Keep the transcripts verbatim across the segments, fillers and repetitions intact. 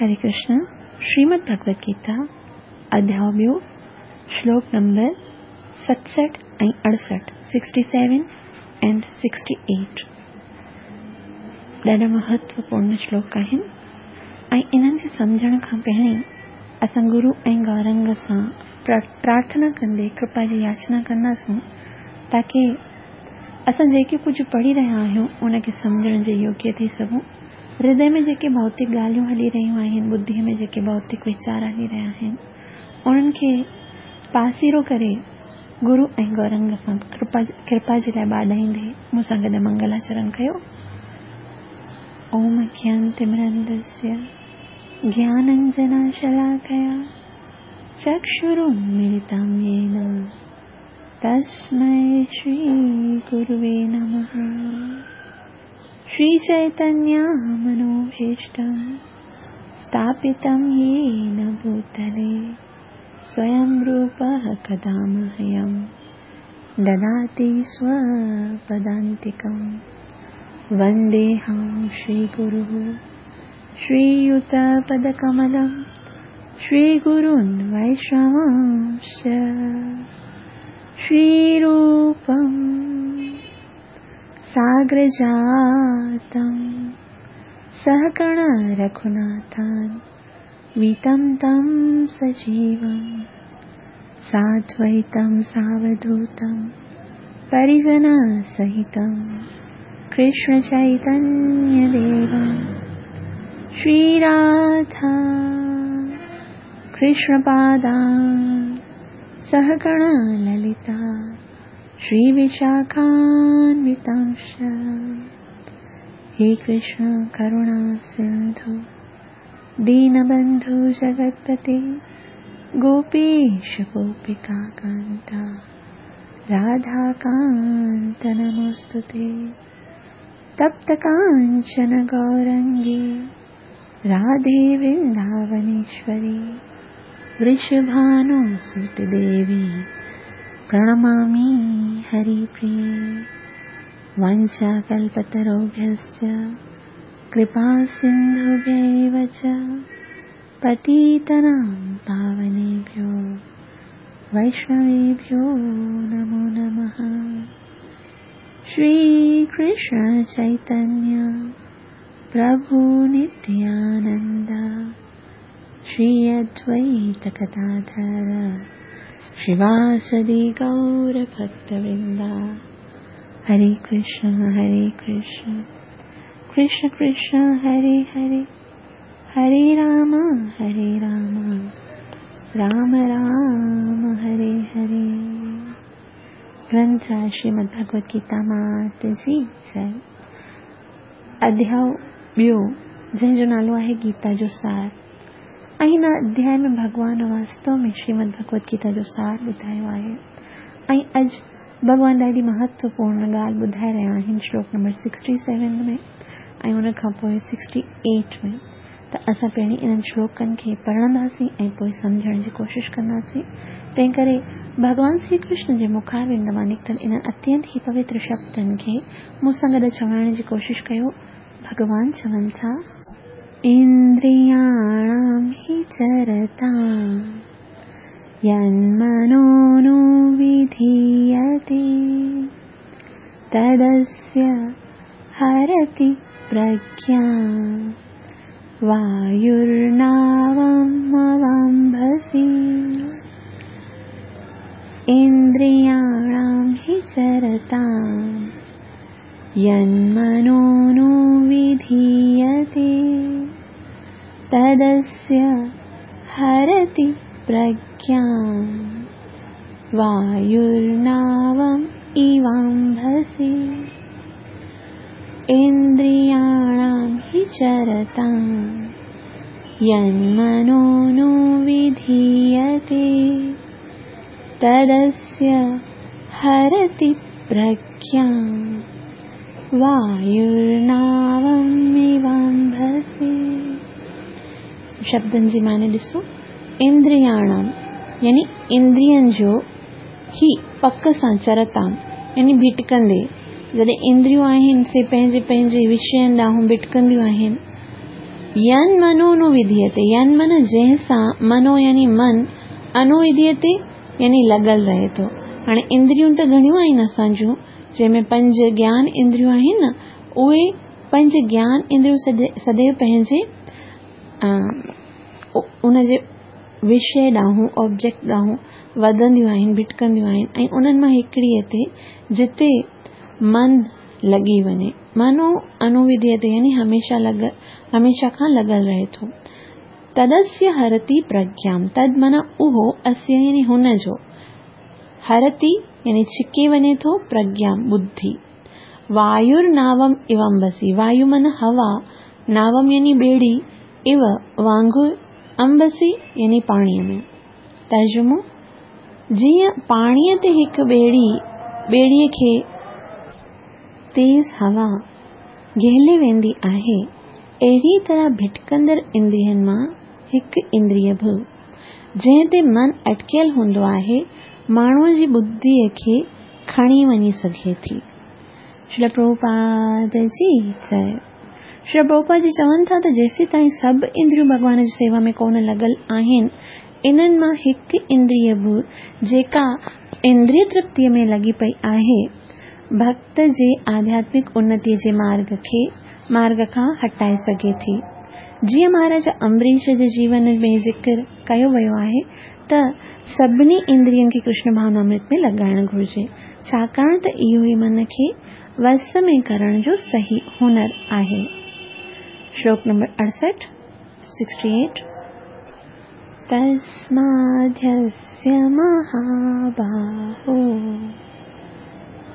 हरे कृष्ण। श्रीमद् भगवत गीता अध्याय ॿियो श्लोक नंबर सतसठि ऐं अड़सठि sixty seven and sixty eight ॾाढा महत्वपूर्ण श्लोक आहिनि ऐं इन्हनि खे सम्झण खां पहिरीं असां गुरू ऐं गौरंग सां प्रार्थना कंदे कृपा जी याचना कंदासूं ताकी असां जेके कुझु पढ़ी रहिया आहियूं उनखे सम्झण जे योग्य थी सघूं। हृदय में जेके भौतिक ॻाल्हियूं हली रहियूं आहिनि, बुद्धीअ में जेके भौतिक वीचार हली रहिया आहिनि, उन्हनि खे पासीरो करे गुरू ऐं गौरंग सां कृपा कृपा जे लाइ ॿाॾाईंदे मूंसां गॾु मंगलाचरण कयो। ओम ज्ञानतिमिरन्दस्य ज्ञानाञ्जनशलाकया चक्षुरुन्मीलितं येन तस्मै श्रीगुरुवे नमः। श्रीचैतन्यमनोभीष्टं स्थापितं येन भूतले स्वयं रूपः कदा मह्यं ददाति स्वपदान्तिकं। वन्देऽहं श्रीगुरुः श्रीयुतपदकमलं श्रीगुरून् वैष्णवांश्च। श्रीरूपं साग्रजातं सहगण रघुनाथान् वितं तं सजीवं साद्वैतं सावधूतं परिजनसहितं कृष्णचैतन्यदेवं। श्रीराधा कृष्णपादान् सहगण ललिता श्रीविशाखान्वितांश्च। हे कृष्ण करुणा सिन्धु दीनबन्धु जगत्पते गोपेश गोपिकान्ता राधाकान्त नमोऽस्तुते। तप्तकाञ्चन गौरङ्गी राधे वृन्दावनेश्वरी वृषभानुसुते देवी प्रणमामि हरिप्रिये। वाञ्छाकल्पतरुभ्यश्च कृपासिन्धुभ्यैव च पतितानां पावनेभ्यो वैष्णवेभ्यो नमो नमः। श्रीकृष्ण चैतन्य प्रभु नित्यानन्द श्री अद्वैत गदाधर श्रीवासदि गौरभक्तवृन्दा। हरे कृष्ण हरे कृष्ण कृष्ण कृष्ण हरे हरे, हरे राम हरे राम राम राम हरे हरे। ग्रंथ श्रीमद् भगवत गीता मात जी जय। अध्याय ॿियो जंहिंजो नालो आहे गीता जो सार। ऐं हिन अध्याय में भॻवान वास्तव में श्रीमद् भगवत गीता जो सार ॿुधायो आहे ऐं अॼु भॻवान ॾाढी महत्वपूर्ण ॻाल्हि ॿुधाए रहिया आहिनि श्लोक नंबर सिक्सटी सेवन में ऐं उन खां पोइ सिक्सटी एट में। त असां पहिरीं इन्हनि श्लोकनि खे पढ़ंदासीं ऐं पोइ सम्झण जी कोशिशि कंदासीं। तंहिं करे भॻवान श्री कृष्ण जे मुखारविंद मां निकितल इन्हनि अत्यंत ई पवित्र शब्दनि खे मूंसां गॾु चवण जी कोशिशि कयो। भॻवान चवनि था, इन्द्रियाणां हि चरतां यन्मनो विधीयते तदस्य हरति प्रज्ञां वायुर्नावमवाम्भसि। इन्द्रियाणां हि चरतां यन्मनो विधीयते तदस्य हरति प्रज्ञां वायुर्नावम् इवाम्भसि। इन्द्रियाणां हि चरतां यन्मनो विधीयते तदस्य हरति प्रज्ञां वायुर्नावम् इवाम्भसि। शब्दनि जी माने ॾिसो, इंद्रियाणां यानी इंद्रियनि जो ही पक सां चरतां यानी भिटकंदे, जॾहिं इंद्रियूं आहिनि से पंहिंजे पंहिंजे विषयनि ॾांहुं भिटकंदियूं आहिनि। यन मनो अनुविधीयते, यन मन जंहिं सां, मनो यानी मन, अनुविधीयते यानी लॻल रहे थो। हाणे इंद्रियूं त घणियूं आहिनि असांजूं, जंहिंमें पंज ज्ञान इंद्रियूं आहिनि न, उहे पंज ज्ञान इंद्रियूं सदैव पंहिंजे उनजे विषय ॾांहुं, ऑब्जेक्ट ॾांहुं वधंदियूं आहिनि, भिटकंदियूं आहिनि ऐं उन्हनि मां हिकिड़ीअ ते जिते मन लॻी वञे। मनो अनुविधीयते यानी हमेशा लॻ हमेशा खां लॻल रहे थो। तदस्य हरति प्रज्ञां, तद माना उहो, अस्य यानी हुन जो, हरति यानी छिके वञे थो, प्रज्ञां बुद्धि। वायुर्नावम इव अम्बसि, वायु माना हवा, नावम यानी ॿेड़ी, इव वांगुर, अम्बसि यानी पाणीअ में। तर्जुमो, जीअं पाणीअ ते हिकु ॿेड़ी ॿेड़ीअ खे तेज़ हवा घिले वेंदी आहे, अहिड़ी तरह भिटकंदड़ इंद्रियनि मां हिकु इंद्रिय बि जंहिं ते मन अटकियल हूंदो आहे, माण्हूअ जी बुद्धीअ खे खणी वञी सघे थी। श्रील प्रभुपाद जी जय। श्रील प्रभुपाद जी चवनि था त जेसीं ताईं सभु इंद्रियूं भॻवान जी सेवा में कोन लॻल आहिनि, इन्हनि मां हिकु इंद्रिय बि जेका इंद्रिय तृप्तीअ में लॻी पई आहे, भक्त जे आध्यात्मिक उन्नतीअ जे मार्ग खे मार्ग खां हटाए सघे थी। जीअं महाराजा अम्बरीश जे जीवन में ज़िक्र कयो वियो आहे त सभिनी इंद्रियनि खे कृष्ण भावनामृत में लॻाइणु घुरिजे, छाकाणि त इहो ई मन खे वस में करण जो सही हुनर आहे। श्लोक नंबर अड़सठि, सिक्सटी एट। तस्माद्यस्य महाबाहो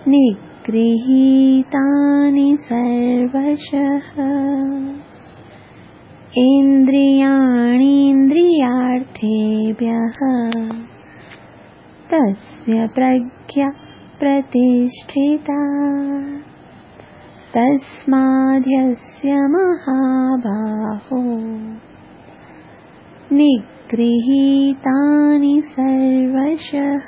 निगृहीतानि सर्वशः इन्द्रियाणीन्द्रियार्थेभ्यः तस्य प्रज्ञा प्रतिष्ठिता। तस्माद्यस्य महाबाहो निगृहीतानि सर्वशः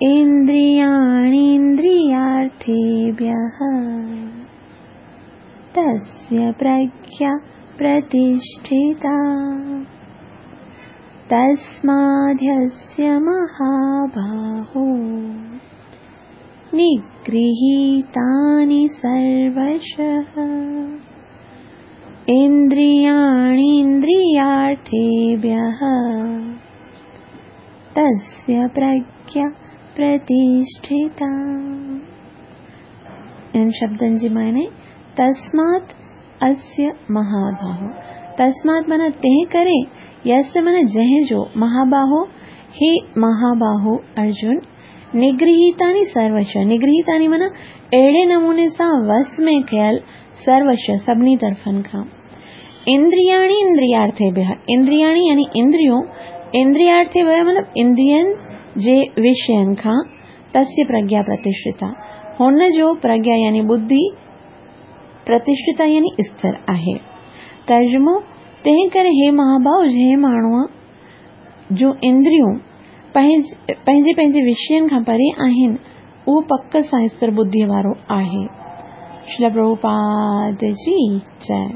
इन्द्रियाणीन्द्रियार्थेभ्यः तस्य प्रज्ञा प्रतिष्ठिता। तस्माद्यस्य महाबाहो निगृहीतानि सर्वशः इन्द्रियाणीन्द्रियार्थेभ्यः तस्य प्रज्ञा प्रतिष्ठिता। इन्हनि शब्दनि जी माने तस्मात् अस्य महाबाहो, तस्मात् माना तंहिं करे, यस्य माना जंहिं जो, महाबाहो हे महाबाहो अर्जुन, निगृहीतानि सर्वश, निगृहीतानि माना अहिड़े नमूने सां वस में कयल, सर्वश सभिनी तरफ़नि खां, इंद्रियाणि इंद्रियार्थेभ्यः, इंद्रियाणि यानी इंद्रियों, इंद्रियार्थेभ्यः मतलब इंद्रियनि जे विषयनि खां, तस्य प्रज्ञा प्रतिष्ठिता, हुन जो प्रज्ञा यानी बुद्धि, प्रतिष्ठिता यानी स्थिर आहे। तर्जुमो, तंहिं करे हे महाभाव, जंहिं माण्हूअ जो इंद्रियूं पंहिंजे पंहिंजे विषयनि खां परे आहिनि, उहो पक सां स्थिर बुद्धीअ वारो आहे। श्रील प्रभुपाद जी जय।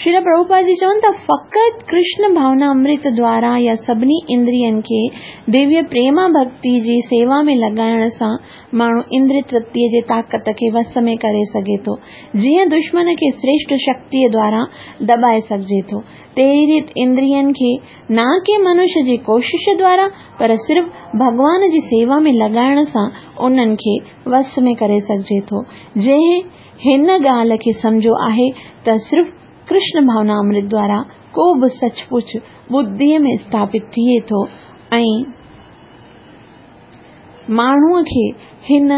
श्रील प्रभुपाद जी चवनि था फ़क़ति कृष्ण भावना अमृत द्वारा या सभिनी इंद्रियनि खे दिव्य प्रेमा भक्ति जी सेवा में लॻाइण सां माण्हू इंद्रिय तृप्तीअ जे ताक़त खे वस में करे सघे थो। जीअं दुश्मन खे श्रेष्ठ शक्तीअ द्वारा दॿाए सघिजे थो, तहिड़ी रीति इंद्रियनि खे न के मनुष्य जी कोशिश द्वारा पर सिर्फ़ भॻवान जी सेवा में लॻाइण सां उन्हनि खे वस में करे सघिजे थो। जंहिं हिन ॻाल्हि खे सम्झो आहे त सिर्फ़ कृष्ण भावना अमृत द्वारा को बि सचपुच बुद्धीअ में स्थापित थिए थो ऐं माण्हूअ खे हिन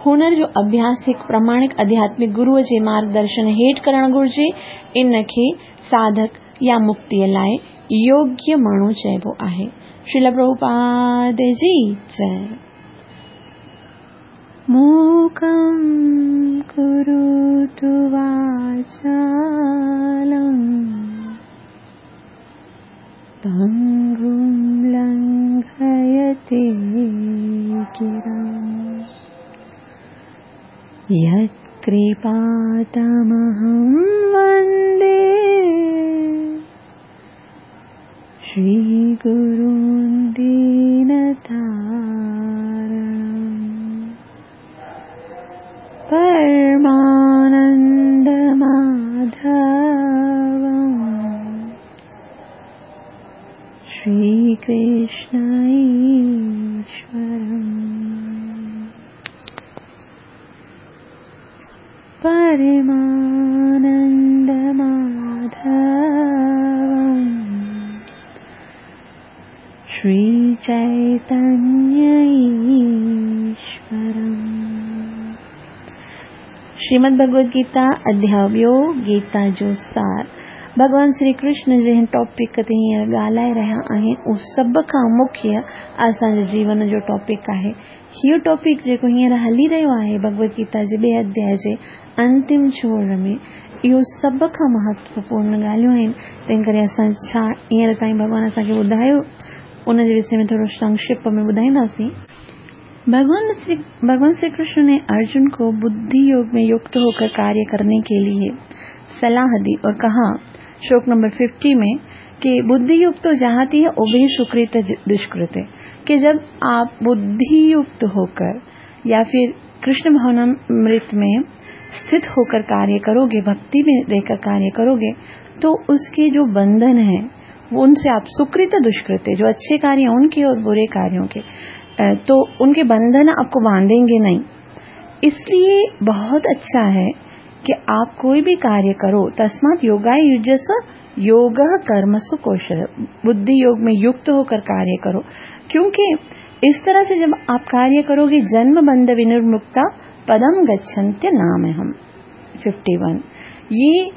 हुनर जो अभ्यास हिकु प्रमाणिक आध्यात्मिक गुरूअ जे मार्गदर्शन हेठि करणु घुरिजे। इन खे साधक या मुक्तीअ लाइ योग्य माण्हू चइबो आहे। श्रील प्रभुपाद जी जय। मूकं करोतु वाचालं पङ्गुं लङ्घयते गिरिं यत्कृपातमहं वन्दे गुरुं दीनतारणं परमानन्दमाधवं श्रीकृष्ण ईश्वरम्। परमानन्दमाधवं श्रीचैतन्य ईश्वरम्। श्रीमद् भगवद गीता अध्याय ॿियो, गीता जो सार। भॻवान श्री कृष्ण जंहिं टॉपिक ते हींअर ॻाल्हाए रहिया आहिनि, उहो सभ खां मुख्य असांजे जीवन जो टॉपिक आहे। इहो टॉपिक जेको हींअर हली रहियो आहे भगवद गीता जे ॿिए अध्याय जे अंतिम छोर में, इहो सभ खां महत्वपूर्ण ॻाल्हियूं आहिनि। तंहिं करे असां छा हींअर ताईं भॻवान असांखे ॿुधायो, उन जे विषय में थोरो संक्षिप्त में ॿुधाईंदासीं। भगवान श्री भगवान श्री कृष्ण ने अर्जुन को बुद्धि योग में युक्त होकर कार्य करने के लिए सलाह दी और कहा, श्लोक नंबर पचास में, कि बुद्धि युक्त तो जाति है उभय सुकृत दुष्कृत, कि जब आप बुद्धि युक्त होकर या फिर कृष्ण भावनामृत में स्थित होकर कार्य करोगे, भक्ति में रहकर कार्य करोगे, तो उसके जो बंधन है वो उनसे आप सुकृत दुष्कृत, जो अच्छे कार्य उनके और बुरे कार्यों के, तो उनके बंधन आपको बांधेंगे नहीं। इसलिए बहुत अच्छा है कि आप कोई भी कार्य करो, तस्मात् योगाय युज्यस्व योगः कर्मसु कौशल, बुद्धि योग में युक्त होकर कार्य करो, क्योंकि इस तरह से जब आप कार्य करोगे, जन्म बंध विनिर्मुक्ता पदम गच्छन्त्य नाम हम। इक्यावन। ये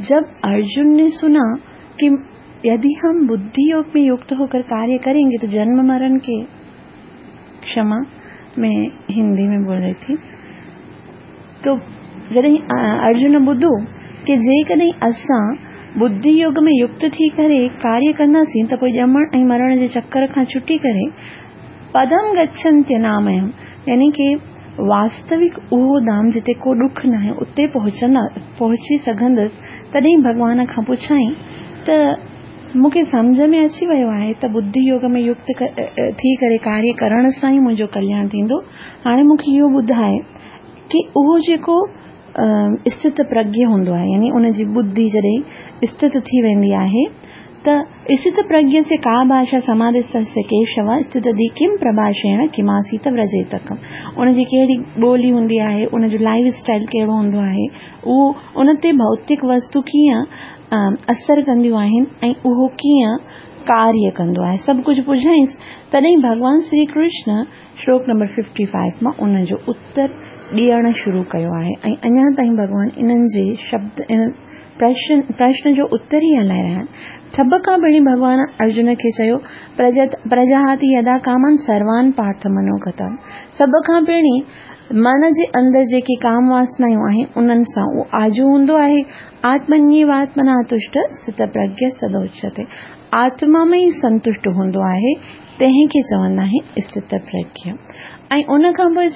जब अर्जुन ने सुना कि यदि हम बुद्धि योग में युक्त होकर कार्य करेंगे तो जन्म मरण के, क्षमा मैं हिंदी में बोल रही थी, तो जॾहिं अर्जुन ॿुधो कि जेकॾहिं असां बुद्धि योग में युक्त थी करे कार्य कंदासीं त पोइ ॼमण ऐं मरण जे चक्कर खां छुटी करे पदम गच्छन्त्य नामयम, यानी कि वास्तविक उहो धाम जिते को ॾुख न आहे उते पहुचंदा पहुची सघंदसि। तॾहिं भॻवान खां पुछाई त मूंखे सम्झ में अची वियो आहे त बुद्धि योग में युक्त थी करे कार्य करण सां ई मुंहिंजो कल्याण थींदो। हाणे मूंखे इहो ॿुधाए कि उहो जेको स्थित प्रज्ञ हूंदो आहे, यानी उनजी बुद्धि जॾहिं स्थित थी वेंदी आहे, त स्थित प्रज्ञ से का भाषा समाधिस्थस्य केशव स्थित दी किम प्रभाषेण किमासीत व्रजेतकम। उनजी कहिड़ी ॿोली हूंदी आहे, उनजो लाइफ स्टाइल कहिड़ो हूंदो आहे, उहो उन ते भौतिक वस्तु कीअं असर कंदियूं आहिनि ऐं उहो कीअं कार्य कंदो आहे, सभु कुझु पुछाईंसि। तॾहिं भॻवान श्री कृष्ण श्लोक नंबर पचपन मां उनजो उत्तर ॾियणु शुरू कयो आहे ऐं अञा ताईं भॻवान इन्हनि जे शब्द इन प्रश्न प्रश्न जो उत्तर ई हलाए रहिया आहिनि। सभ खां पहिरीं भॻवान अर्जुन खे चयो, प्रजाहाति यदा कामान सर्वान पार्थ मनोगतान। सभ खां पहिरीं मन जे अंदरि जेके काम वासनायूं आहिनि उन्हनि सां उहो आजो हूंदो आहे। आत्मन्येवात्मना तुष्ट स्थित प्रज्ञ सदोच्यते, आत्मा में ई संतुष्ट हूंदो आहे, तंहिंखे चवंदा आहिनि स्थित प्रज्ञ। ऐं उन खां पोइ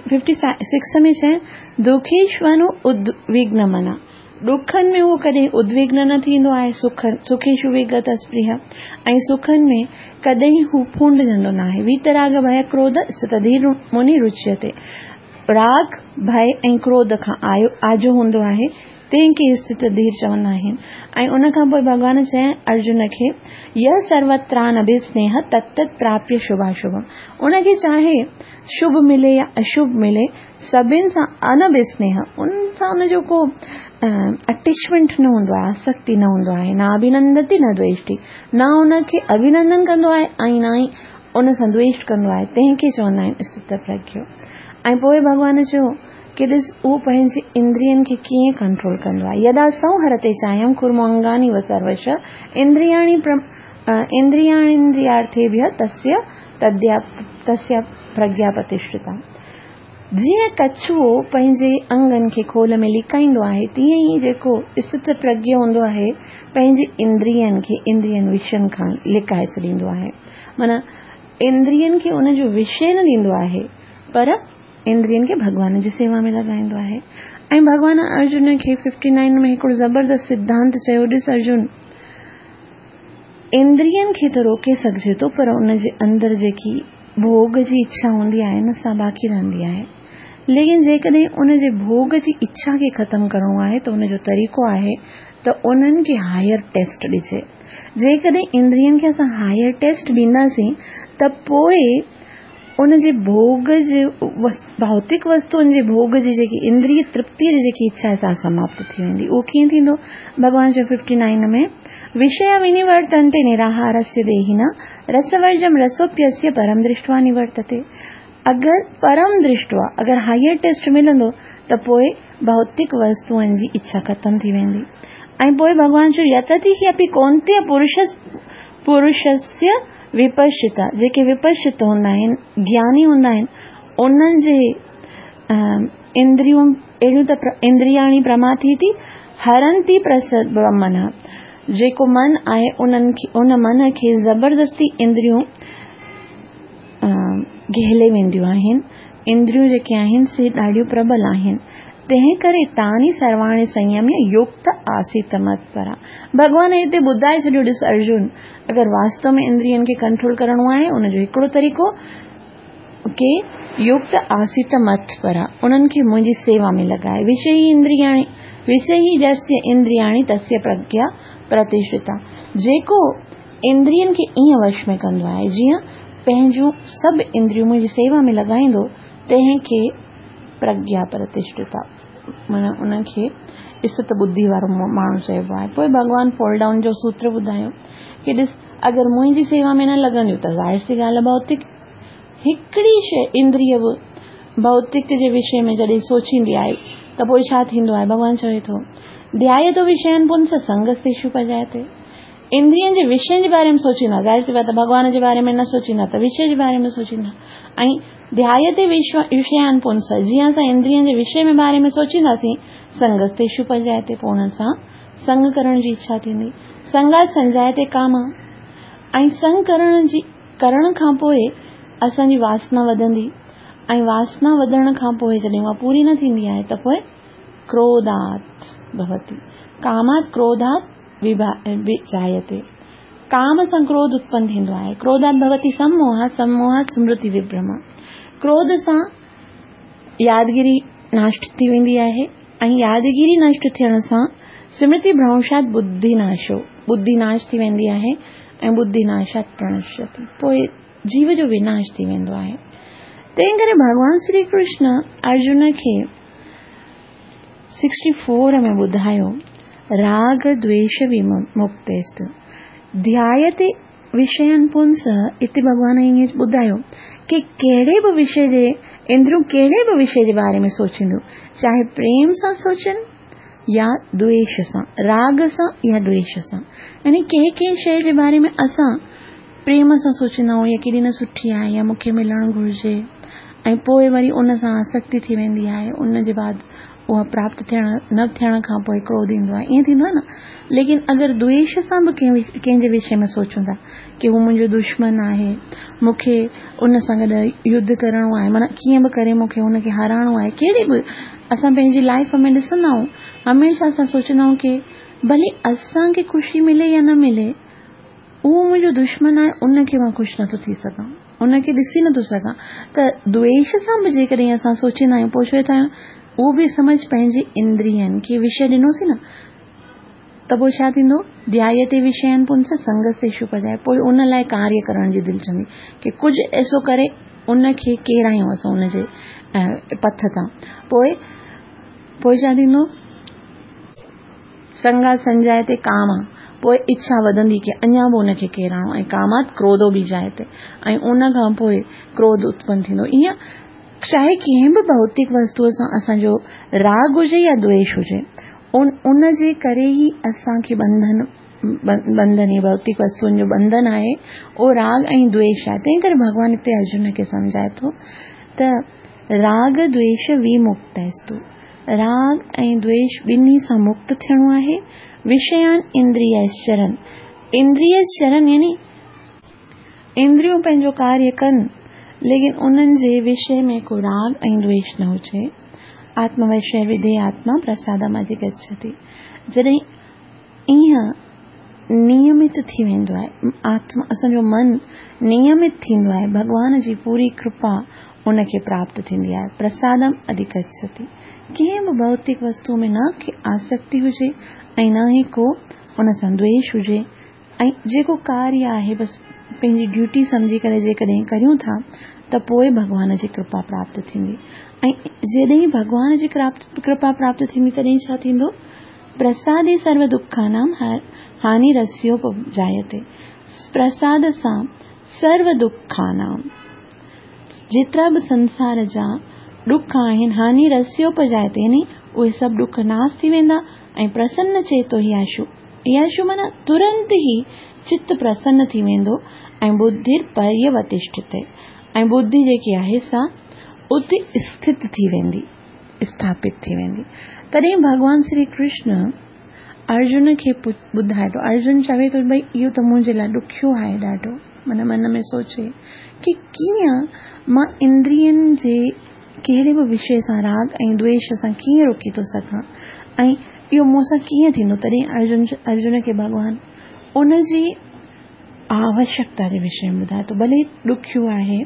फिफ्टी सिक्स में चए, दुखेश्वनु उद्विग्न मना, ॾुखनि में उहो कॾहिं उद्विग्न न थींदो आहे, सुख सुखेषु विगत स्पृह, ऐं सुखनि में कॾहिं हू फूंडिजंदो न आहे। वीतराग भय क्रोध स्थितधीर मुनि रुच्यते, राग भय ऐं क्रोध खां आयो आजो हूंदो आहे, तंहिंखे स्थित धीर चवंदा आहिनि। ऐं उन खां पोइ भॻवान चए अर्जुन खे, यह सर्वत्रानभिस्नेह तत्तत् प्राप्य शुभाशुभम, उनखे चाहे शुभ मिले या अशुभ मिले, सभिनि सां अनभिस्नेह, उन सां उनजो को अटेचमेंट न हूंदो आहे, आसक्ति न हूंदो आहे, न अभिनंदति न द्वेष्टि, न उनखे अभिनंदन कंदो आहे ऐं न ई उन सां द्वेष कंदो आहे, तंहिंखे चवंदा आहिनि स्थित प्रज्ञ। ऐं पोइ भॻवान चयो कि ॾिस उहो पंहिंजे इंद्रियनि खे कीअं कंट्रोल कंदो आहे। यदा संहरते चायं कुर्मो अंगानि व सर्वश इंद्रियाणि इंद्रियाणीन्द्रियार्थेभ्यः तस्य तद्या तस्य प्रज्ञा प्रतिष्ठिता। जीअं कछुओ पंहिंजे अंगनि खे खोल में लिकाईंदो आहे, तीअं ई जेको स्थित प्रज्ञ हूंदो आहे पंहिंजे इंद्रियनि खे इंद्रियनि विषयनि खां लिकाए छॾींदो आहे। माना इंद्रियनि खे उनजो विषय न ॾींदो आहे, पर इंद्रियनि खे भॻवान जी सेवा में लॻाईंदो आहे। ऐं भॻवान अर्जुन खे फिफ्टी नाइन में हिकिड़ो ज़बरदस्त सिद्धांत चयो, ॾिस अर्जुन, इंद्रियनि खे त रोके सघिजे थो, पर उन जे अंदरि जेकी भोग जी इच्छा हूंदी आहे न, सा बाक़ी रहंदी आहे। लेकिन जेकॾहिं उन जे भोग जी इच्छा खे ख़तमु करिणो आहे त उनजो तरीक़ो आहे त उन्हनि खे हायर टेस्ट ॾिजे। जेकॾहिं इंद्रियनि खे असां हायर टेस्ट ॾींदासीं त पोइ उन जे भोग जे भौतिक वस्तुनि जे भोग जी जेकी इंद्रिय तृप्तीअ जी जेकी इच्छा आहे सा समाप्त थी वेंदी। उहो कीअं थींदो? भॻवान चयो फिफ्टी नाइन में, विषय विनिवर्तन्ते निराहारस्य देहिनः रसवर्जं रसोप्यस्य परम दृष्ट्वा निवर्तते। अगरि परम दृष्ट्वा अगरि हायर टेस्ट मिलंदो त पोइ भौतिक वस्तुअनि जी इच्छा ख़तमु थी वेंदी। ऐं पोइ भॻवान चयो यतति हि अपि कौन्तेय पुरुष पुरुषस्य विपश्चिता, जेके विपश्चित हूंदा आहिनि, ज्ञानी हूंदा आहिनि, उन्हनि जे इंद्रियूं अहिड़ियूं त इंद्रियाणी प्रमाथी थी हरंती प्रसद मन, जेको मन आहे उन्हनि खे उन मन खे ज़बरदस्ती इंद्रियूं घेले वेंदियूं आहिनि। इंद्रियूं जेके आहिनि से ॾाढियूं प्रबल आहिनि, तंहिं करे तानी सर्वाणी संयम्य युक्त आसीत मत्परा। भॻवान हिते ॿुधाए छॾियो, ॾिस अर्जुन, अगरि वास्तव में इंद्रियनि खे कंट्रोल करिणो आहे उनजो हिकिड़ो तरीक़ो के युक्त आसीत मत्परा, उन्हनि खे मुंहिंजी सेवा में लॻाए। विषय इंद्रियाणी विषय यस्य इंद्रियाणी तस्य प्रज्ञा प्रतिष्ठिता, जेको इंद्रियनि खे ईअं वश में कंदो आहे जीअं पंहिंजूं सभु इंद्रियूं मुंहिंजी सेवा में लॻाईंदो, तंहिंखे प्रज्ञा प्रतिष्ठिता, माना उनखे स्थित बुद्धि वारो माण्हू चइबो आहे। पोइ भॻवान फॉल डाउन जो सूत्र ॿुधायो की ॾिस, अगरि मुंहिंजी सेवा में न लॻंदियूं त ज़ाहिर सी ॻाल्हि भौतिक हिकिड़ी शइ इंद्रिय बि भौतिक जे विषय में जॾहिं सोचींदी आहे त पोइ छा थींदो आहे? भॻवान चवे थो, ध्यायतो विषयानि पुंस संगस्तेषु उपजायते। इंद्रियनि जे विषयनि जे बारे में सोचींदा, ज़ाहिर सी ॻाल्हि भॻवान जे बारे में न सोचींदा त विषय जे बारे में सोचींदा। ऐं ध्यायते विषयानि पुंस, जीअं असां इंद्रियनि जे विषय में बारे में सोचींदासीं, संगस्तेषु उपजायते, पोइ उन्हनि सां संग करण जी इच्छा थींदी। संगात संजायते काम, ऐं संग करण जी करण खां पोइ असांजी वासना वधंदी, ऐं वासना वधण खां पोइ जॾहिं उहा पूरी न थींदी आहे त पोइ क्रोधात् भवति, कामात् क्रोधात् विजायते, काम सां क्रोध उत्पन्न थींदो आहे। क्रोधात् भवति सम्मोह, सम्मोहात् स्मृति विभ्रम, क्रोध सां यादगिरी नष्ट थी वेंदी आहे, ऐं यादगिरी नष्ट थियण सां स्मृति भ्रंशात् बुद्धि नाशो, बुद्धि नाश थी वेंदी आहे, ऐं बुद्धि नाशात् प्रणश्यति, पोइ जीव जो विनाश थी वेंदो आहे। तंहिं करे भॻवान श्री कृष्ण अर्जुन खे सिक्सटी फोर में ॿुधायो, राग द्वेष विमुक्तेस्त ध्यायते विषयानि पुंस। हिते भॻवान ईअं ॿुधायो की कहिड़े बि विषय जे इंद्रियूं कहिड़े बि विषय जे बारे में सोचींदियूं, चाहे प्रेम सां सोचनि या द्वेष सां, राग सां या द्वेष सां, यानी कंहिं कंहिं शइ जे बारे में असां प्रेम सां सोचींदा आहियूं या केॾी न सुठी आहे या मूंखे मिलणु घुरिजे, ऐं पोइ वरी उन सां आसक्ति थी वेंदी आहे, उन जे बाद उहा प्राप्त थियण न थियण खां पोइ क्रोध ईंदो आहे, ईअं थींदो आहे न। लेकिन अगरि द्वेष सां बि कंहिं कंहिंजे विषय में सोचूं था की हू मुंहिंजो दुश्मन आहे, मूंखे उन सां गॾु युद्ध करिणो आहे, माना कीअं बि करे मूंखे हुनखे हाराइणो आहे, कहिड़ी बि असां पंहिंजी लाइफ में ॾिसंदा आहियूं, हमेशह असां सोचींदा आहियूं की भले असांखे ख़ुशी मिले या न मिले, उहो मुंहिंजो दुश्मन आहे, उनखे मां ख़ुशि नथो थी सघां, उनखे ॾिसी नथो सघां। त द्वेष सां बि जेकॾहिं असां सोचींदा आहियूं, पोइ छो था आहियूं, उहो बि सम्झ पंहिंजी इंद्रियनि खे विषय ॾिनोसीं न, त पोइ छा थींदो? ध्यायते विषयानि पुंस संगस्तेषु उपजाए, पोइ उन लाइ कार्य करण जी दिलि चवंदी की कुझु ऐसो करे उनखे केरायूं असां उनजे पथ तां। पोइ पोइ छा थींदो? संगा संजायते काम, पोइ इच्छा वधंदी की अञा बि उनखे केराइणो, ऐं कामात् क्रोधो बि जायते, ऐं उन खां पोइ क्रोध उत्पन्न थींदो। ईअं चाहे कंहिं बि भौतिक वस्तूअ सां असांजो राग हुजे या द्वेष हुजे, उन उन जे करे ई असांखे बंधन बंधन भौतिक वस्तुअनि जो बंधन आहे, उहो राग ऐं द्वेष आहे। तंहिं करे भॻवान हिते अर्जुन खे सम्झाए थो त राग द्वेष विमुक्तस्तु, राग ऐं द्वेष ॿिन्ही सां मुक्त थियणो आहे। विषयान इंद्रियश्चरन, इंद्रियश्चरन यानी इंद्रियूं पंहिंजो कार्य कनि, लेकिन उन्हनि जे विषय में को राग ऐं द्वेष न हुजे। आत्मवशय विधेय आत्मा प्रसादम अधिगच्छति, जॾहिं ईअं नियमित थी वेंदो आहे, आत्मा असांजो मन नियमित थींदो आहे, भॻवान जी पूरी कृपा उनखे प्राप्त थींदी आहे। प्रसादम अधिगच्छति, कंहिं बि भौतिक वस्तु में न की आसक्ति हुजे ऐं न ई को उन सां द्वेष हुजे, ऐं जेको कार्य आहे बसि पंहिंजी ड्यूटी सम्झी करे जेकॾहिं करियूं था त पोइ भॻवान जी कृपा प्राप्त थींदी। ऐं जॾहिं भॻवान जी कृपा प्राप्त थींदी तॾहिं छा थींदो? प्रसादे सर्व दुखानां हानिरस्योपजायते। प्रसाद सां सर्व दुखानां, जेतिरा बि संसार जा ॾुख आहिनि, हानिरस्योपजायते यानी उहे सभु ॾुख नाश थी वेंदा। ऐं प्रसन्न चेतो ही आशु, आशु माना तुरंत ई चित प्रसन्न थी वेंदो। ऐं बुद्धिर पर्यवतिष्ठते, ऐं बुद्धि जेकी आहे सा उते स्थित थी वेंदी, स्थापित थी वेंदी। तॾहिं भॻवान श्री कृष्ण अर्जुन खे ॿुधाए थो। अर्जुन चवे थो भई इहो त मुंहिंजे लाइ ॾुखियो आहे ॾाढो, माना मन में सोचे की कीअं मां इंद्रियनि जे कहिड़े बि विषय सां राग ऐं द्वेष सां कीअं रोकी थो सघां ऐं इहो मूंसां कीअं थींदो। तॾहिं अर्जुन अर्जुन खे भॻवान उनजी आवश्यकता जे विषय में ॿुधाए थो। भले ॾुखियो आहे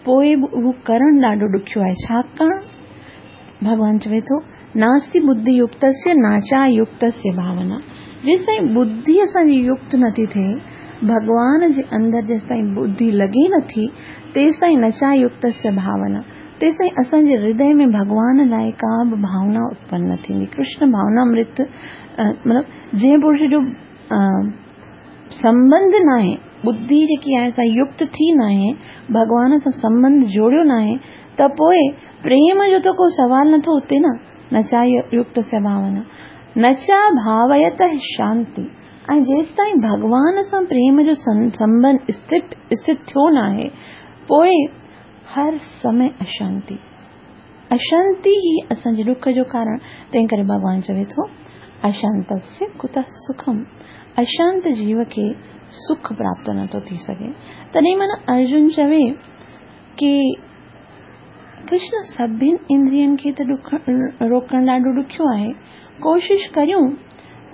पोइ बि उहो करणु ॾाढो ॾुखियो आहे, छाकाणि भॻवान चवे थो नास्ति बुद्धि युक्तस्य नाचा युक्तस्य भावना। जेसिताईं बुद्धि असांजी युक्त नथी थिए, भॻवान जे अंदरि जेसिताईं बुद्धि लॻे नथी, तेसिताईं नचा युक्तस्य भावना, तेसिताईं असांजे हृदय में भॻवान लाइ का बि भावना उत्पन्न न थींदी। कृष्ण भावनामृत मतिलबु जंहिं पुरुष जो संबंध न आहे, बुद्धि जेकी आहे सा युक्त थी न आहे, भॻवान सां संबंध जोड़ियो न आहे, त पोइ प्रेम जो त को सवाल नथो उते न। नचा युक्त से भावना नचा भावयत शांति। ऐं जेसिताईं भॻवान सां प्रेम जो संबंध स्थित स्थित थियो न आहे, पोइ हर समय अशांति अशांति ई असांजे ॾुख जो कारण। तंहिं करे भॻवान चवे थो अशांतस्य कुतः सुखम, अशांत जीव खे सुख प्राप्त नथो थी सघे। तॾहिं माना अर्जुन चवे की कृष्ण सभिनि इंद्रियनि खे त ॾुख रोकणु ॾाढो ॾुखियो आहे, कोशिशि करियूं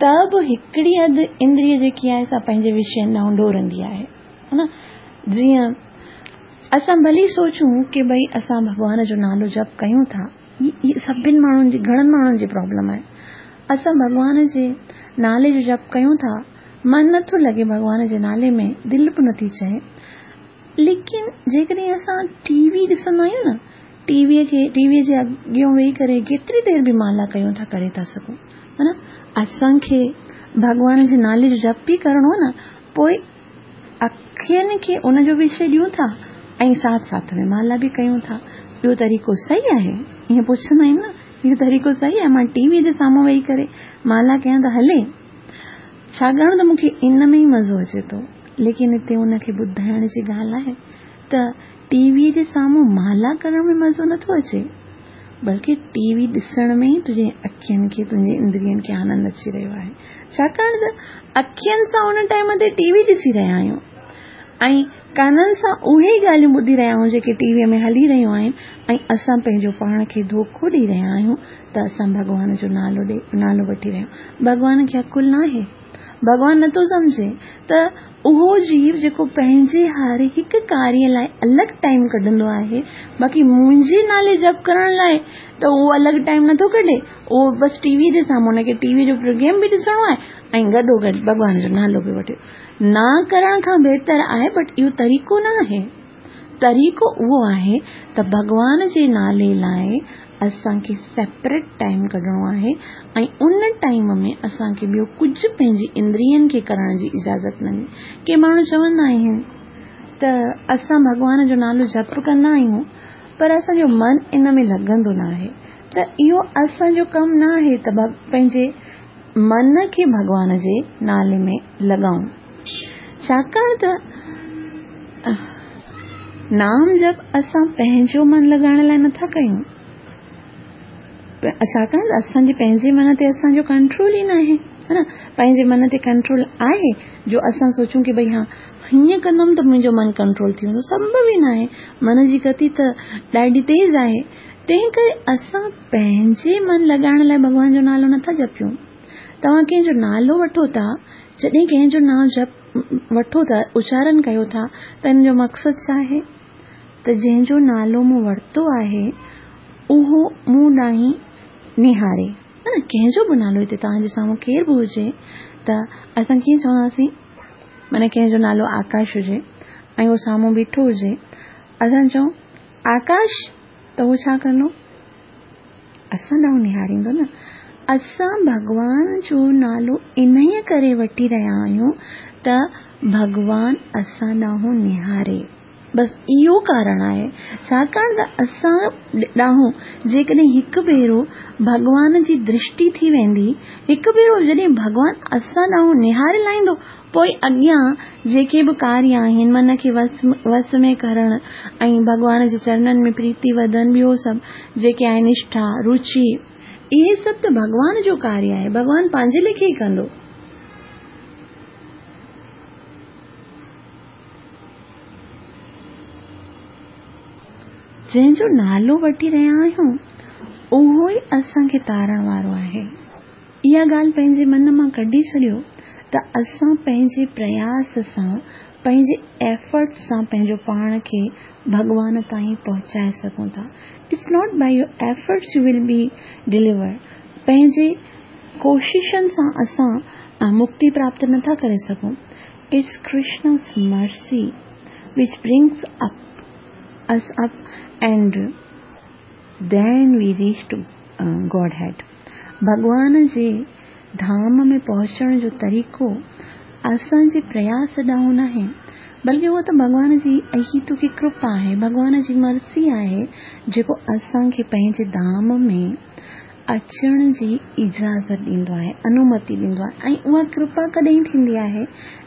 त बि हिकिड़ी अधु इंद्रिय जेकी आहे सा पंहिंजे विषयनि ॾांहुं डोरंदी आहे, हा न। जीअं असां भली सोचूं की भई असां भॻवान जो नालो जप कयूं था, इहा सभिनि माण्हुनि जी, घणनि माण्हुनि जी प्रॉब्लम आहे। असां भॻवान जे नाले जो जप कयूं था, मन नथो लॻे भॻवान जे नाले में, दिलि बि नथी चए, लेकिन जेकॾहिं असां टीवी ॾिसंदा आहियूं न, टीवीअ खे टीवीअ जे अॻियां वेही करे केतिरी देरि बि माला कयूं था, करे था सघूं, हा न। असांखे भॻवान जे नाले जो जप ई करिणो न, पोइ अखियुनि खे उनजो विषय ॾियूं था ऐं साथ साथ में माला बि कयूं था। इहो तरीक़ो सही आहे? ईअं पुछंदा आहिनि न, इहो तरीक़ो सही आहे? मां टीवीअ जे साम्हूं वेही करे माला कयां त हले, छाकाणि त मूंखे इन में ई मज़ो अचे थो। लेकिन हिते उनखे ॿुधाइण जी ॻाल्हि आहे त टीवीअ जे साम्हूं माला करण में मज़ो नथो अचे, बल्कि टीवी ॾिसण में ई तुंहिंजे अखियुनि खे, तुंहिंजे इंद्रियनि खे आनंद अची रहियो आहे। छाकाणि त अखियुनि सां उन टाइम ते टीवी ॾिसी रहिया आहियूं ऐं काननि सां उहे ई ॻाल्हियूं ॿुधी रहिया आहियूं जेके टीवीअ में हली रहियूं आहिनि, ऐं असां पंहिंजो पाण खे धोखो ॾेई रहिया आहियूं त असां भॻवान जो नालो ॾे नालो वठी रहिया आहियूं। भॻवान खे अकुल न आहे, भॻवान नथो सम्झे त उहो जीव जेको पंहिंजे हर हिकु कार्य लाइ अलॻि टाइम कढंदो आहे, बाक़ी मुंहिंजे नाले जप करण लाइ त उहो अलॻि टाइम नथो कढे, उहो बसि टीवी जे साम्हूं हुनखे टीवी जो प्रोग्राम बि ॾिसणो आहे ऐं गॾोगॾु भॻवान जो नालो बि वठे। न करण खां बहितर आहे, बट इहो तरीक़ो न आहे। तरीक़ो उहो आहे त भॻवान जे नाले लाइ असांखे सेपरेट टाइम कढिणो आहे ऐं उन टाइम में असांखे ॿियो कुझु पंहिंजी इंद्रियनि खे करण जी इजाज़त न ॾिनी। के माण्हू चवंदा आहिनि त असां भॻवान जो नालो जप कंदा आहियूं पर असांजो मन इन में लॻंदो न आहे, त इहो असांजो कमु न आहे त पंहिंजे मन खे भॻवान जे नाले में लॻाऊं, छाकाणि त नाम जप असां पंहिंजो मन लॻाइण लाइ नथा कयूं, छाकाणि त असांजे पंहिंजे मन ते असांजो कंट्रोल ई न आहे, हा न। पंहिंजे मन ते कंट्रोल आहे जो असां सोचूं की भई हा हीअं कंदमि त मुंहिंजो मन कंट्रोल थी वेंदो, संभव ई न आहे। मन जी गति त ॾाढी तेज़ आहे, तंहिं करे असां पंहिंजे मन लॻाइण लाइ भॻवान जो नालो नथा जपियूं। तव्हां कंहिंजो नालो वठो था, जॾहिं कंहिंजो नाम जप वठो था, उचारण कयो था, त इन जो मक़सदु छा आहे? त जंहिंजो नालो मूं वरितो आहे उहो मूं ॾांहुं निहारे, हा न। कंहिंजो बि नालो हिते तव्हांजे साम्हूं केरु बि हुजे त असां कीअं चवंदासीं, माना कंहिंजो नालो आकाश हुजे ऐं उहो साम्हूं बीठो हुजे, असां चऊं आकाश, त उहो छा कंदो? असां ॾांहुं निहारींदो न। असां भॻवान जो नालो इन्हीअ करे वठी रहिया आहियूं त भॻवान असां ॾांहुं निहारे, बसि इहो कारण आहे। छाकाणि त असां ॾांहुं जेकॾहिं हिकु भेरो भॻवान जी दृष्टि थी वेंदी, हिकु भेरो जॾहिं भॻवान असां ॾांहुं निहारे लाहींदो, पोइ अॻियां जेके बि कार्य आहिनि, मन खे वस वस में करणु ऐं भॻवान जे चरणनि में प्रीति वधणु, ॿियो सभु जेके आहिनि निष्ठा, रुचि, इहे सभु त भॻवान जो कार्य आहे, भॻवान पंहिंजे लेखे ई कंदो। जंहिंजो नालो वठी रहिया आहियूं उहो ई असांखे तारण वारो आहे। इहा ॻाल्हि पंहिंजे मन मां कढी छॾियो त असां पंहिंजे प्रयास सां, पंहिंजे एफर्ट सां पंहिंजो पाण खे भॻवान ताईं पहुचाए सघूं था। It's not by your efforts you will be delivered. पंहिंजे कोशिशनि सां असां मुक्ति प्राप्त नथा करे सघूं। It's Krishna's mercy which brings up us up and then we reach to uh, Godhead. भॻवान जे धाम में पहुचण जो तरीक़ो असांजे प्रयास ॾांहुं नाहे, बल्कि उहो त भॻवान जी अहितुकी कृपा आहे, भॻवान जी मर्सी आहे जेको असांखे पंहिंजे धाम में अचण जी इजाज़त ॾींदो आहे, अनुमति ॾींदो आहे। ऐं उहा कृपा कॾहिं थींदी आहे?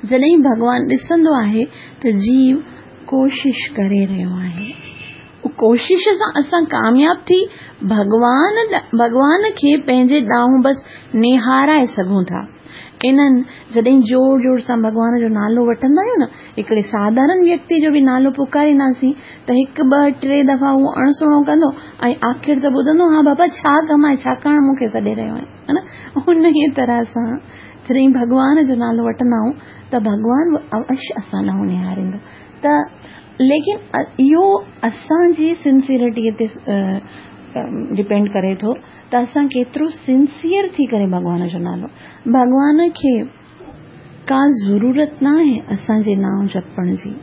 जॾहिं भॻवान ॾिसंदो आहे त जीव कोशिश करे रहियो आहे, कोशिश सां असां कामयाब थी भॻवान भॻवान खे पंहिंजे ॾांहुं बसि निहाराए सघूं था। इन्हनि जॾहिं ज़ोर ज़ोर सां भॻवान जो नालो वठंदा आहियूं न, हिकिड़े साधारण व्यक्ति जो बि नालो पुकारींदासीं त हिकु ॿ टे दफ़ा उहो अणसुणो कंदो ऐं आख़िर त ॿुधंदो, हा बाबा छा कमु आहे, छाकाणि मूंखे सॾे रहियो आहे, हा न। उन ई तरह सां जॾहिं भॻवान जो नालो वठंदा आहियूं त भॻवान अवश्य असां ॾांहुं निहारींदो। त लेकिन इहो असांजी सिंसियरिटीअ ते डिपेंड करे थो त असां केतिरो सिंसियर थी करे भॻवान जो नालो, भॻवान खे का ज़रूरत न आहे असांजे नाम जपण जी,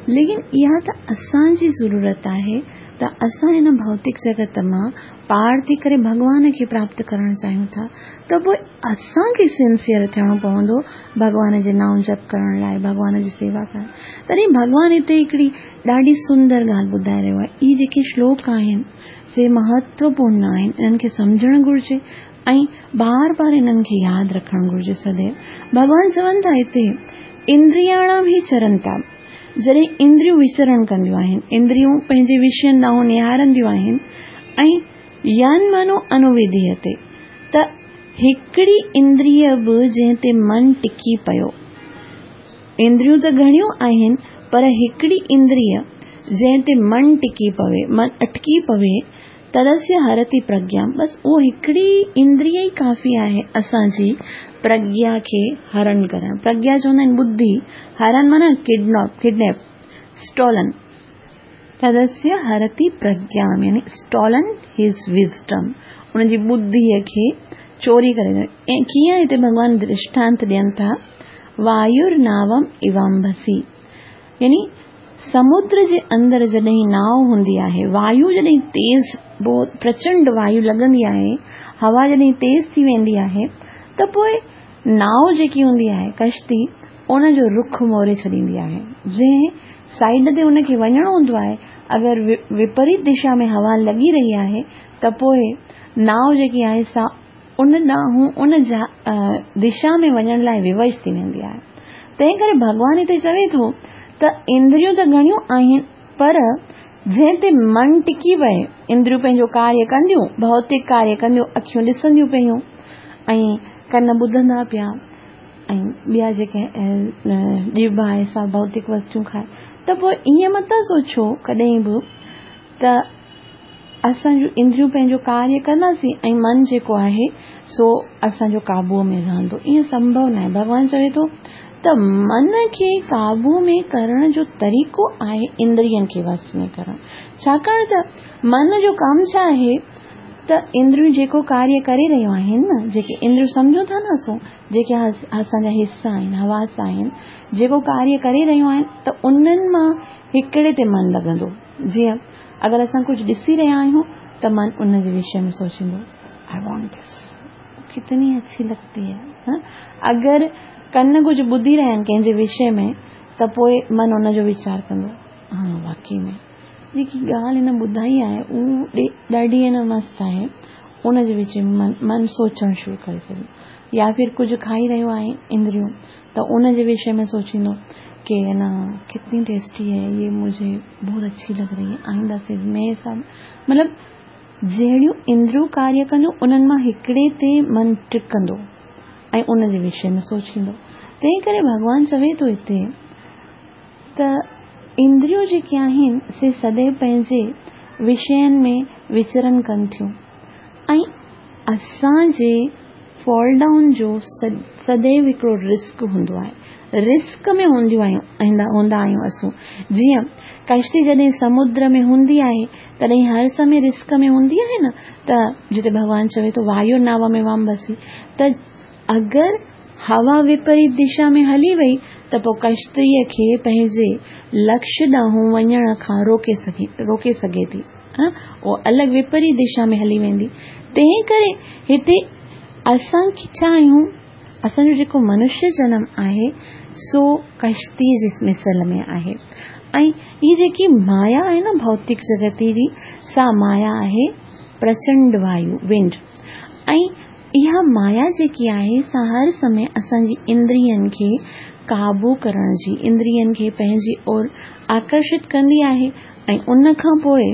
लेकिन इहा त असांजी ज़रूरत आहे त असां हिन भौतिक जगत मां पार थी करे भॻवान खे प्राप्त करणु चाहियूं था, त पोइ असांखे सिंसियर थियणो पवंदो भॻवान जे नाम जप करण लाइ, भॻवान जी सेवा करण। तॾहिं भॻवान हिते हिकिड़ी ॾाढी सुंदर ॻाल्हि ॿुधाए रहियो आहे। इहे जेके श्लोक आहिनि से महत्वपूर्ण आहिनि, इन्हनि खे सम्झणु घुरिजे ऐं बार बार इन्हनि खे यादि रखणु घुरिजे सदैव। भॻवान चवनि था हिते इंद्रियाणाम ही चरंता, जॾहिं इंद्रियूं विचरण कंदियूं आहिनि, इंद्रियूं पंहिंजे विषयनि ॾांहुं निहारंदियूं आहिनि ऐं यन मनो अनुविधीयते, त हिकिड़ी इंद्रिय बि जंहिं ते मन टिकी पियो, इंद्रियूं त घणियूं आहिनि पर हिकिड़ी इंद्रिय जंहिं ते मन टिकी पवे, मन अटकी पवे, तदस्य हरति प्रज्ञा, बसि उहो हिकिड़ी इंद्रिय ई काफ़ी आहे असांजी प्रज्ञा खे हरण करणु। प्रज्ञा चवंदा आहिनि बुद्धि, हरण माना किडनैप, किडनैप, स्टोलन। तदस्य हरति प्रज्ञा यानी स्टोलन his wisdom, उनजी बुद्धिअ खे चोरी करे। ऐं कीअं हिते भॻवान दृष्टांत ॾियनि था, वायुर्नावम इवाम्भसी, यानी समुद्र जे अंदरि जॾहिं नाव हूंदी आहे, वायु जॾहिं तेज़, बहुत प्रचंड वायु लॻंदी आहे, हवा जॾहिं तेज़ थी वेंदी आहे, त पोइ नाव जेकी हूंदी आहे कश्ती, उनजो रुख मोड़े छॾींदी आहे। जंहिं साइड ते उनखे वञिणो हूंदो आहे, अगरि विपरीत दिशा में हवा लॻी रही आहे त पोइ नाव जेकी आहे सा उन ॾांहुं उन दिशा में वञण लाइ विवश थी वेंदी आहे। तंहिं करे भॻवान हिते चवे थो त इंद्रियूं त घणियूं आहिनि पर जंहिं ते मन टिकी पए, इंद्रियूं पंहिंजो कार्य कंदियूं, भौतिक कार्य कंदियूं, अखियूं ॾिसंदियूं पयूं ऐं कन ॿुधंदा पिया ऐं ॿिया जेके जीभ आहे सा भौतिक वस्तूं खाए, त पोइ ईअं मथां सोचो कॾहिं बि त असांजूं इंद्रियूं पंहिंजो कार्य कंदासीं ऐं मन जेको आहे सो असांजो क़ाबूअ में रहंदो। ईअं संभव न आहे। भॻवान चवे थो त मन खे क़ाबू में करण जो तरीक़ो आहे इंद्रियनि खे वश में करणु। छाकाणि त मन जो कमु छा आहे त इंद्रियूं जेको कार्य करे रहियूं आहिनि न, जेके इंद्रियूं सम्झूं था न असां, जेके असांजा हिसा आहिनि, हवास आहिनि, जेको कार्य करे रहियूं आहिनि त उन्हनि मां हिकिड़े ते मन लॻंदो। जीअं अगरि असां कुझु ॾिसी रहिया आहियूं त मन उन जे विषय में सोचींदो, I want this, कितनी अच्छी लगती है। हा? अगरि कन कुझु ॿुधी रहिया आहिनि कंहिंजे विषय में त पोइ मन उनजो वीचार कंदो, हा वाकई में जेकी ॻाल्हि हिन ॿुधाई आहे उहो ॾाढी न मस्त आहे, उनजे विच में मन मन सोचणु शुरू करे छॾींदो। या फिर कुझु खाई रहियो आहे इंद्रियूं त उनजे विषय में सोचींदो कि न कितनी टेस्टी है ये, मुझे बहुत अच्छी लग रही है, आइंदा से मैं सब मतलब जहिड़ियूं इंद्रियूं कार्य कंदियूं उन्हनि मां हिकिड़े ते मन टिकंदो ऐं उनजे विषय में सोचींदो। तंहिं करे भॻवान चवे थो हिते त इंद्रियूं जेके आहिनि से सदैव पंहिंजे विषयनि में विचरण कनि थियूं ऐं असांजे फॉल डाउन जो सदैव हिकिड़ो रिस्क हूंदो आहे। रिस्क में हूंदियूं आहियूं हूंदा आहियूं असां। जीअं कश्ती जॾहिं समुद्र में हूंदी आहे तॾहिं हर समय रिस्क में हूंदी आहे न, त जिते भॻवान चवे थो वायु नाव में वाम बसी, त अगरि हवा विपरीत दिशा में हली वई त पोइ कश्तीअ खे पंहिंजे लक्ष्य ॾांहुं वञण खां रोके सघे रोके सघे थी, उहो अलॻि विपरीत दिशा में हली वेंदी। तंहिं करे हिते असां छा आहियूं, असांजो जेको मनुष्य जनम आहे सो कश्तीअ जे मिसल में आहे ऐं हीअ जेकी माया आहे न भौतिक जगत जी, सा माया आहे प्रचंड वायु विंड, ऐं इहा माया जेकी आहे सा हर समय असांजी इंद्रियनि खे क़ाबू करण जी, इंद्रियनि खे पंहिंजी ओर आकर्षित कंदी आहे ऐं उन खां पोइ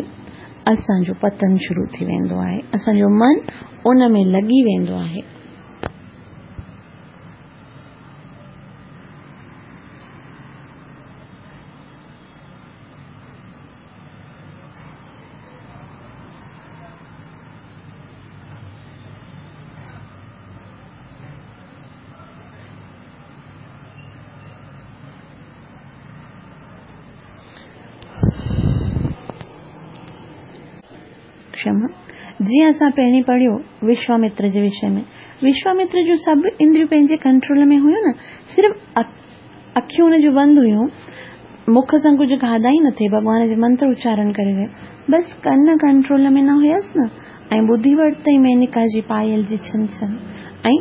असांजो पतन शुरू थी वेंदो आहे, असांजो मन उन में लॻी वेंदो आहे। क्षमा, जीअं असां पहिरीं पढ़ियो विश्वामित्र जे विषय में, विश्वामित्र जो सभु इंद्रियूं पंहिंजे कंट्रोल में हुयूं न, सिर्फ़ अखियूं हुनजूं बंदि हुयूं, मुख सां कुझु खाधा ई न थिए, भॻवान जे मंत्र उचारण करे रहियो, बसि कन कंट्रोल में न हुयसि न, ऐं ॿुधी वरितई मेनिका जी पायल जी छन छन, ऐं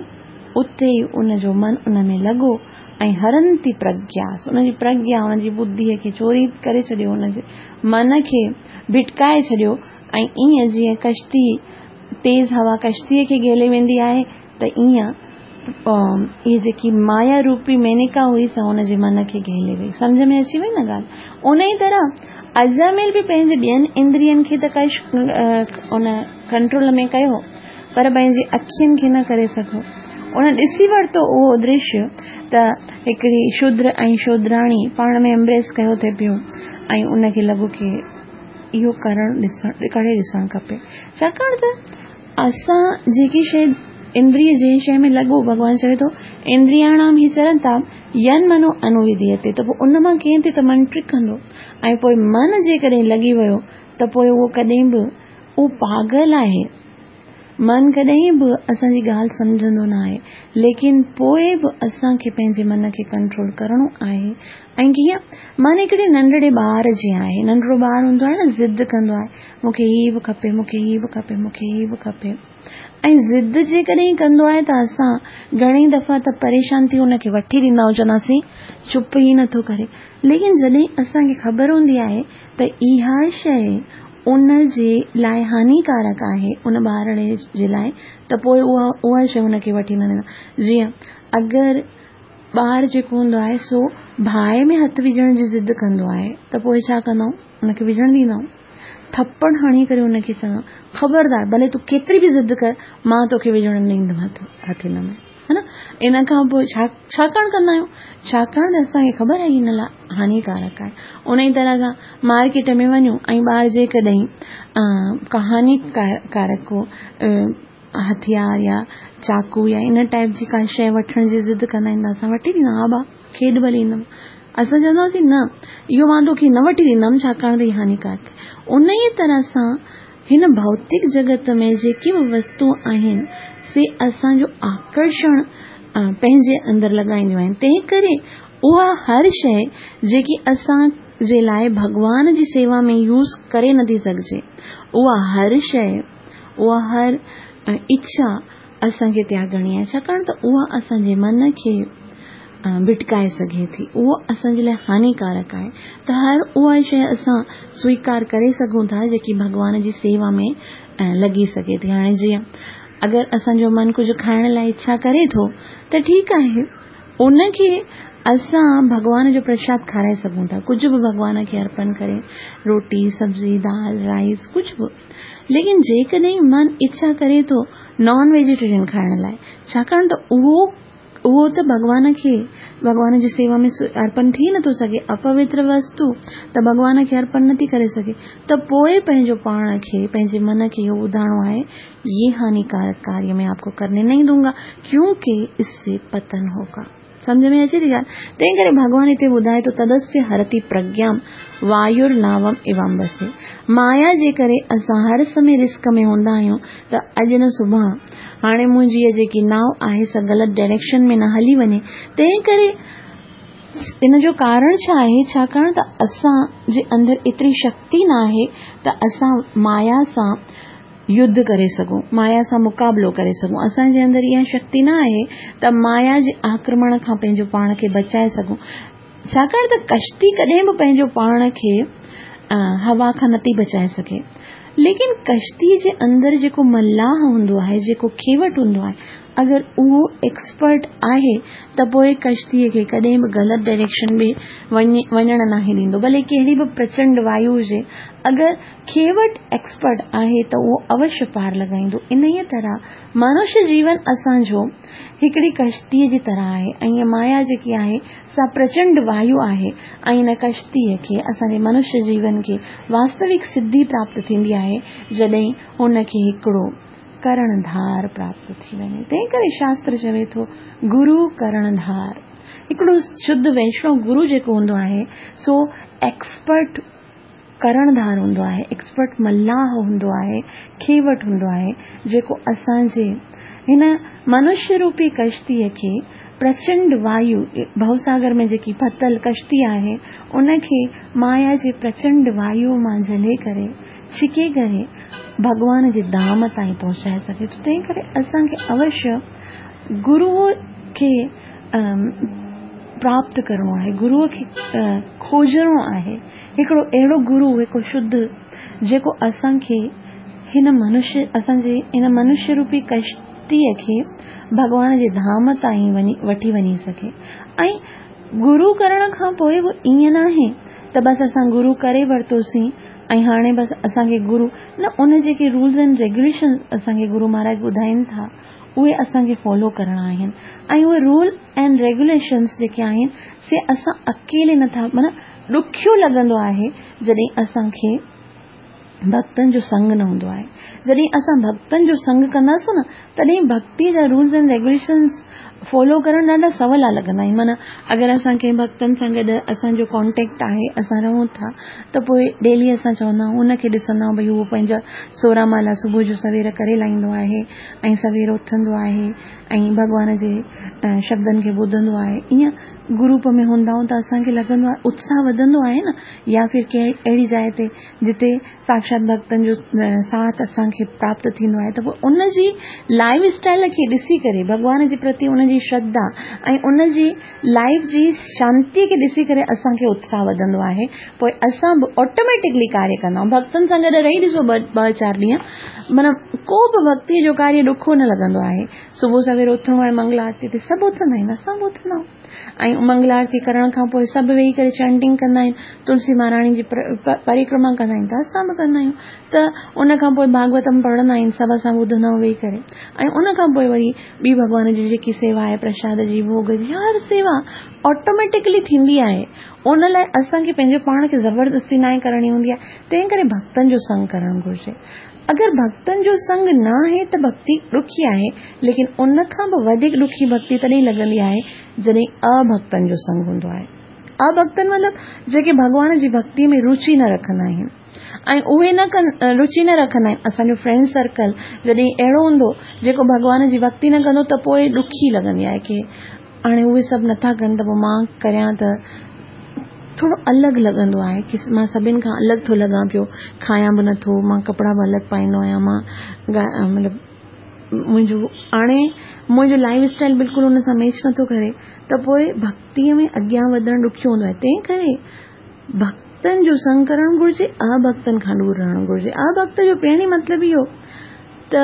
उते ई उनजो मन उन में लॻो ऐं हरंती प्रज्ञा, उनजी प्रज्ञा हुनजी बुद्धीअ खे चोरी करे छॾियो, हुनजे मन खे भिटकाए छॾियो। ऐं ईअं जीअं कश्ती तेज़ हवा कश्तीअ खे घेले वेंदी आहे त ईअं इहा जेकी माया रूपी मेनिका हुई सा हुनजे मन खे घेले वई। सम्झ में अची वई न ॻाल्हि? उन ई तरह अजामिल बि पंहिंजे ॿियनि इंद्रियनि खे त कश उन कंट्रोल में कयो, पर पंहिंजी अखियुनि खे न करे सघियो। उन ॾिसी वरितो उहो दृश्य त हिकिड़ी शूद्र ऐं शूद्राणी पाण में एम्ब्रेस कयो थिए पियो ऐं उनखे लॻो की इहो करणु ॾिसणु करे ॾिसणु खपे। छाकाणि त असां जेकी शइ इंद्रिय जंहिं शइ में लॻो, भॻवान चवे थो इंद्रियाणाम ही चरंता यन मनो अनुविधीयते, त पोइ उन मां कीअं ते त मन टिकंदो ऐं पोइ मन जेकॾहिं लॻी वियो त पोइ उहो कॾहिं बि उहो पागल आहे, मन कॾहिं बि असांजी ॻाल्हि सम्झंदो न आहे, लेकिन पोइ बि असांखे पंहिंजे मन खे कंट्रोल करिणो आहे। ऐं कीअं? मन हिकिड़े नंढड़े ॿार जीअं आहे, नंढड़ो ॿार हूंदो आहे न, ज़िद कंदो आहे, मूंखे हीअ बि खपे, मूंखे हीअ बि खपे, मूंखे हीअ बि खपे, ऐं ज़िद जेकॾहिं कंदो आहे त असां घणेई दफ़ा त परेशान थी हुनखे वठी ॾींदा आहियूं, चवंदासीं चुप ई नथो करे। लेकिन जॾहिं असांखे ख़बर हूंदी आहे त इहा शइ उन जे लाइ हानिकारक आहे, उन ॿारड़े जे लाइ, त पोइ उहा उहा शइ हुनखे वठी न ॾींदा। जीअं अगरि ॿार जेको हूंदो आहे सो बाहि में हथु विझण जी ज़िद कंदो आहे त पोइ छा कंदा आहियूं, हुनखे विझणु ॾींदा आहियूं, थप्पड़ हणी करे हुनखे चवंदा खबरदार, भले तूं केतिरी बि ज़िद कर, मां तोखे विझणु न ॾींदुमांइ हथु हिन में। ها نه؟ ان کان پوءِ ڇا ڇاڪاڻ ڪندا آهيون؟ ڇاڪاڻ ته اسان کي خبر آهي هن لاءِ هانيڪارڪ آهي. ان ئي طرح سان مارڪيٽ ۾ وڃون ۽ ٻار جيڪڏهن ڪا هانيڪارڪ ڪو هٿيار يا چاقو يا ان ٽائيپ جي ڪا شيءِ وٺڻ جي ضد ڪندا آهن ته اسان وٺي ڏيندا ها ڀاءُ کيڏ ڀلي هن ۾. اسان چونداسين نه اهو مان توکي نه وٺي ڏيندم ڇاڪاڻ ته هي هانيڪارڪ. ان ئي طرح سان هن ڀوتڪ جڳت ۾ جيڪي به وستو آهن سي اسان جو آڪرشڻ پنهنجي اندر لڳائينديون آهن. تنهن ڪري اها هر شيءِ جيڪي اسان جي لاءِ ڀڳوان جي سيوا ۾ يوز ڪري نٿي سگهجي، اها هر شيءِ، اها هر اڇا اسان کي تياڳڻي آهي، ڇاڪاڻ ته اها اسان جي من کي ڀٽڪائي سگهي ٿي، اهو اسان جي لاءِ هانيڪارڪ آهي. ته هر اها شيءِ اسان سويڪار ڪري سگهون ٿا جيڪي ڀڳوان جي سيوا ۾ لڳي سگهي ٿي. هاڻي جيئن اگر اسان جو من ڪجهه کائڻ لاءِ اڇا ڪري ٿو ته ٺيڪ آهي، ان کي اسان ڀڳوان جو پرشاد کارائي سگهون ٿا، ڪجهه به ڀڳوان کي ارپڻ ڪري، روٽي، سبزي، دال، رائس، ڪجهه به. ليڪن جيڪڏهن من اڇا ڪري ٿو نان ويجيٽيرين کائڻ لاءِ، ڇاڪاڻ ته اهو اهو ته ڀڳوان کي ڀڳوان جي سيوا ۾ ارپڻ ٿي نٿو سگهي، اپوتر وستو ته ڀڳوان کي ارپڻ نٿي ڪري سگهي، ته پوءِ پنهنجو پاڻ کي پنهنجي من کي اهو ٻڌائڻو آهي ये हानिकारक कार्य मैं आपको करने नहीं दूंगा क्योंकि इससे पतन होगा. सम्झ में अचे थी ॻाल्हि? तंहिं करे भॻवान हिते ॿुधाए थो तदस्य हरति प्रज्ञां वायुर्नावम इवाम्बसे. माया जे करे असां हर समय रिस्क में हूंदा आहियूं त अॼु न सुभाणे हाणे मुंहिंजी इहा जेकी नाव आहे सा ग़लति डायरेक्शन में न हली वञे. तंहिं करे इन जो कारण छा आहे? छाकाणि त असां जे अंदरि एतिरी शक्ति न आहे त असां माया सां युद्ध करे सघूं, माया सां मुक़ाबिलो करे सघूं. असांजे अंदरि इहा शक्ति न आहे त माया जे आक्रमण खां पंहिंजो पाण खे बचाए सघूं. छाकाणि त कश्ती कॾहिं बि पंहिंजो पाण खे हवा खां नथी बचाए सघे, लेकिन कश्ती जे अंदरि जेको मलाह हूंदो आहे, जेको खेवट हूंदो आहे, अगरि उहो एक्सपर्ट आहे त पोइ कश्तीअ खे कॾहिं बि ग़लति डायरेक्शन में वञे वञणु नाहे ॾींदो, भले कहिड़ी बि प्रचंड वायु हुजे, अगरि खेवट एक्सपर्ट आहे त उहो अवश्य पार लॻाईंदो. इन ई तरह मनुष्य जीवन असांजो हिकिड़ी कश्तीअ जी तरह आहे ऐं इहा माया जेकी आहे सा प्रचंड वायु आहे ऐं इन कश्तीअ खे असांजे मनुष्य जीवन खे वास्तविक सिद्धि प्राप्त थींदी आहे जॾहिं हुनखे हिकिड़ो करणधार प्राप्त थी वञे. तंहिं करे शास्त्र चवे थो गुरु करणधार. हिकिड़ो शुद्ध वैष्णव गुरु जेको हूंदो आहे सो एक्सपर्ट करणधार हूंदो आहे, एक्सपर्ट मलाह हूंदो आहे, खेवट हूंदो आहे, जेको असांजे हिन मनुष्य रूपी कश्तीअ खे प्रचंड वायु भवसागर में जेकी फतल कश्ती आहे उनखे माया जे प्रचंड वायु मां झले करे छिके करे भॻवान जे धाम ताईं पहुचाए सघे थो. तंहिं करे असांखे अवश्य गुरूअ खे प्राप्त करिणो आहे, गुरूअ खे खोजणो आहे. हिकिड़ो अहिड़ो गुरू, हिकिड़ो शुद्ध, जेको असांखे हिन मनुष्य असांजे हिन मनुष्य रूपी कश्तीअ खे भॻवान जे धाम ताईं वञी वठी वञी सघे. ऐं गुरू करण खां पोइ बि ईअं नाहे त बसि असां गुरू करे वरितोसीं ऐं हाणे बसि असांखे गुरू न, उन जेके रूल्स एंड रेगुलेशन्स असांखे गुरू महाराज ॿुधाइनि था उहे असांखे फॉलो करणा आहिनि. ऐं उहे रूल एंड रेगुलेशन्स जेके आहिनि से असां अकेले नथा, माना ॾुखियो लॻंदो आहे जॾहिं असांखे भक्तनि जो संग न हूंदो आहे. जॾहिं असां भक्तनि जो संग कंदासीं न तॾहिं भक्ति जा रूल्स एंड रेगुलेशन्स फॉलो करणु ॾाढा सवला लॻंदा आहिनि. माना अगरि असां कंहिं भक्तनि सां गॾु असांजो कॉन्टेक्ट आहे, असां रहूं था, त पोइ डेली असां चवंदा आहियूं उनखे ॾिसंदा आहियूं भई उहो पंहिंजा सोरहं माला सुबुह जो सवेर करे लाहींदो आहे ऐं सवेर उथंदो आहे ऐं भॻवान जे शब्दनि खे ॿुधंदो आहे. ईअं ग्रुप में हूंदा आहियूं त असांखे लॻंदो आहे उत्साह वधंदो आहे न, या फिर कंहिं अहिड़ी जाइ ते जिते साक्षात भक्तनि जो साथ असांखे प्राप्त थींदो आहे त पोइ उनजी लाइफ स्टाइल खे ॾिसी करे भॻवान जे प्रति उनजी श्रद्धा ऐं उनजी लाइफ जी शांतीअ खे ॾिसी करे असांखे उत्साह वधंदो आहे. पोइ असां बि ऑटोमेटिकली कार्य कंदा आहियूं. भक्तनि सां गॾु रही ॾिसो ॿ ॿ चारि ॾींहं, माना को बि भक्तीअ जो कार्य ॾुखियो न लॻंदो आहे. सुबुह सवेर उथणो आहे मंगल आरती ते सभु उथंदा आहिनि, असां बि उथंदा आहियूं ऐं मंगल आरती करण खां पोइ सभु वेही करे चैंटिंग कंदा आहिनि, तुलसी महाराणी जी परिक्रमा कंदा आहिनि त असां बि कंदा आहियूं. त उन खां पोइ भागवतम पढ़ंदा आहिनि, सभु असां ॿुधंदा आहियूं वेही करे, ऐं उन खां पोइ वरी ॿी भॻवान जी जेकी सेवा سيوا آهي پرشاد جي، ڀوڳ جي، هر سيوا آٽوميٽڪلي ٿيندي آهي. ان لاءِ اسان کي پنهنجو پاڻ کي زبردستي ناهي ڪرڻي هوندي آهي. تنهن ڪري ڀڳتن جو سنگ ڪرڻ گهرجي. اگر ڀڳتن جو سنگ نه آهي ته ڀڳتي ڏکي آهي، ليڪن ان کان به وڌيڪ ڏکي ڀڳتي تڏهن لڳندي آهي جڏهن اڀڳتن جو سنگ هوندو آهي. اڀڳتن مطلب جيڪي ڀڳوان جي ڀڳتي ۾ رچي نه رکندا آهن ۽ اهي نه ڪن رچي نه رکندا آهن. اسان جو فرينڊ سرڪل جڏهن اهڙو هوندو جيڪو ڀڳوان جي ڀڳتي نه ڪندو ته پوءِ ڏکي لڳندي آهي ڪه هاڻي اهي سڀ نٿا ڪن ته پوءِ مان ڪريان ته ٿورو الڳ لڳندو آهي ڪه مان سڀني کان الڳ ٿو لڳان پيو، کايان به نٿو، مان ڪپڙا به الڳ پائيندو آهيان، مان مطلب منهنجو هاڻي منهنجو لائف اسٽائل بلڪل ان سان ميچ نٿو ڪري ته پوءِ ڀڳتيءَ ۾ اڳيان وڌڻ ڏکيو هوندو آهي. تنهن ڪري ڀڳتن جو سنگ ڪرڻ گهرجي، اڀڳتن کان دور رهڻ گهرجي. اڀڳت جو پهرين مطلب اهو ته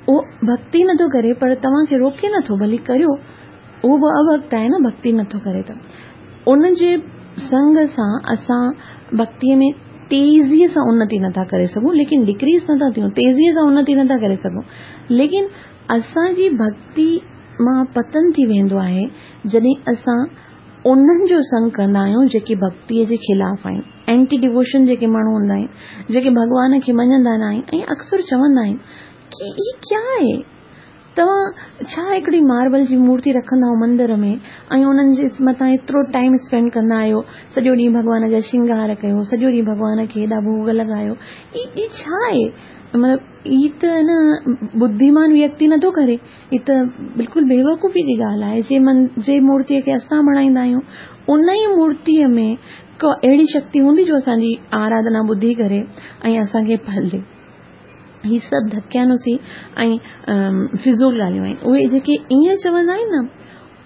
اهو ڀڳتي نٿو ڪري پر توهان کي روڪي نٿو، ڀلي ڪريو، اهو به اڀڳت آهي نه، ڀڳتي نٿو ڪري ته ان جي سنگ سان اسان ڀڳتيءَ ۾ تيزيءَ سان انتي نٿا ڪري سگهون، ليڪن ڊڪريز نٿا ٿيون، تيزيءَ سان انتي نٿا ڪري سگهون، ليڪن اسان جي ڀڳتي مان پتن ٿي ويندو آهي جڏهن اسان انهن جو سنگ ڪندا آهيون جيڪي ڀڳتيءَ جي خلاف آهن. اينٽي ڊووشن جيڪي ماڻهو هوندا آهن، جيڪي ڀڳوان کي مڃندا نه آهن ۽ اڪثر چوندا آهن ڪه هي ڪيا آهي، توهان ڇا هڪڙي ماربل جي مورتي رکندا آهيو مندر ۾ ۽ انهن جي مٿان ايترو ٽائيم اسپينڊ ڪندا آهيو، سڄو ڏينهن ڀڳوان جا شرنگار ڪيو، سڄو ڏينهن ڀڳوان کي هيڏا ڀوڳ لڳايو، هي ڇا آهي؟ مطلب هي ته نه ٻڌيمان ويڪتي نٿو ڪري، هي ته بلڪل بيوقوفي جي ڳالهه آهي. جي من جي مورتيءَ کي اسان بڻائيندا آهيون ان ئي مورتيءَ ۾ ڪا اهڙي شڪتي هوندي جو اسان جي آراڌنا ٻڌي ڪري ۽ اسان کي ڦل ڏئي. هي سڀ ڌڪيانوسي ۽ فضول ڳالهيون آهن. اهي جيڪي ائين چوندا آهن نه،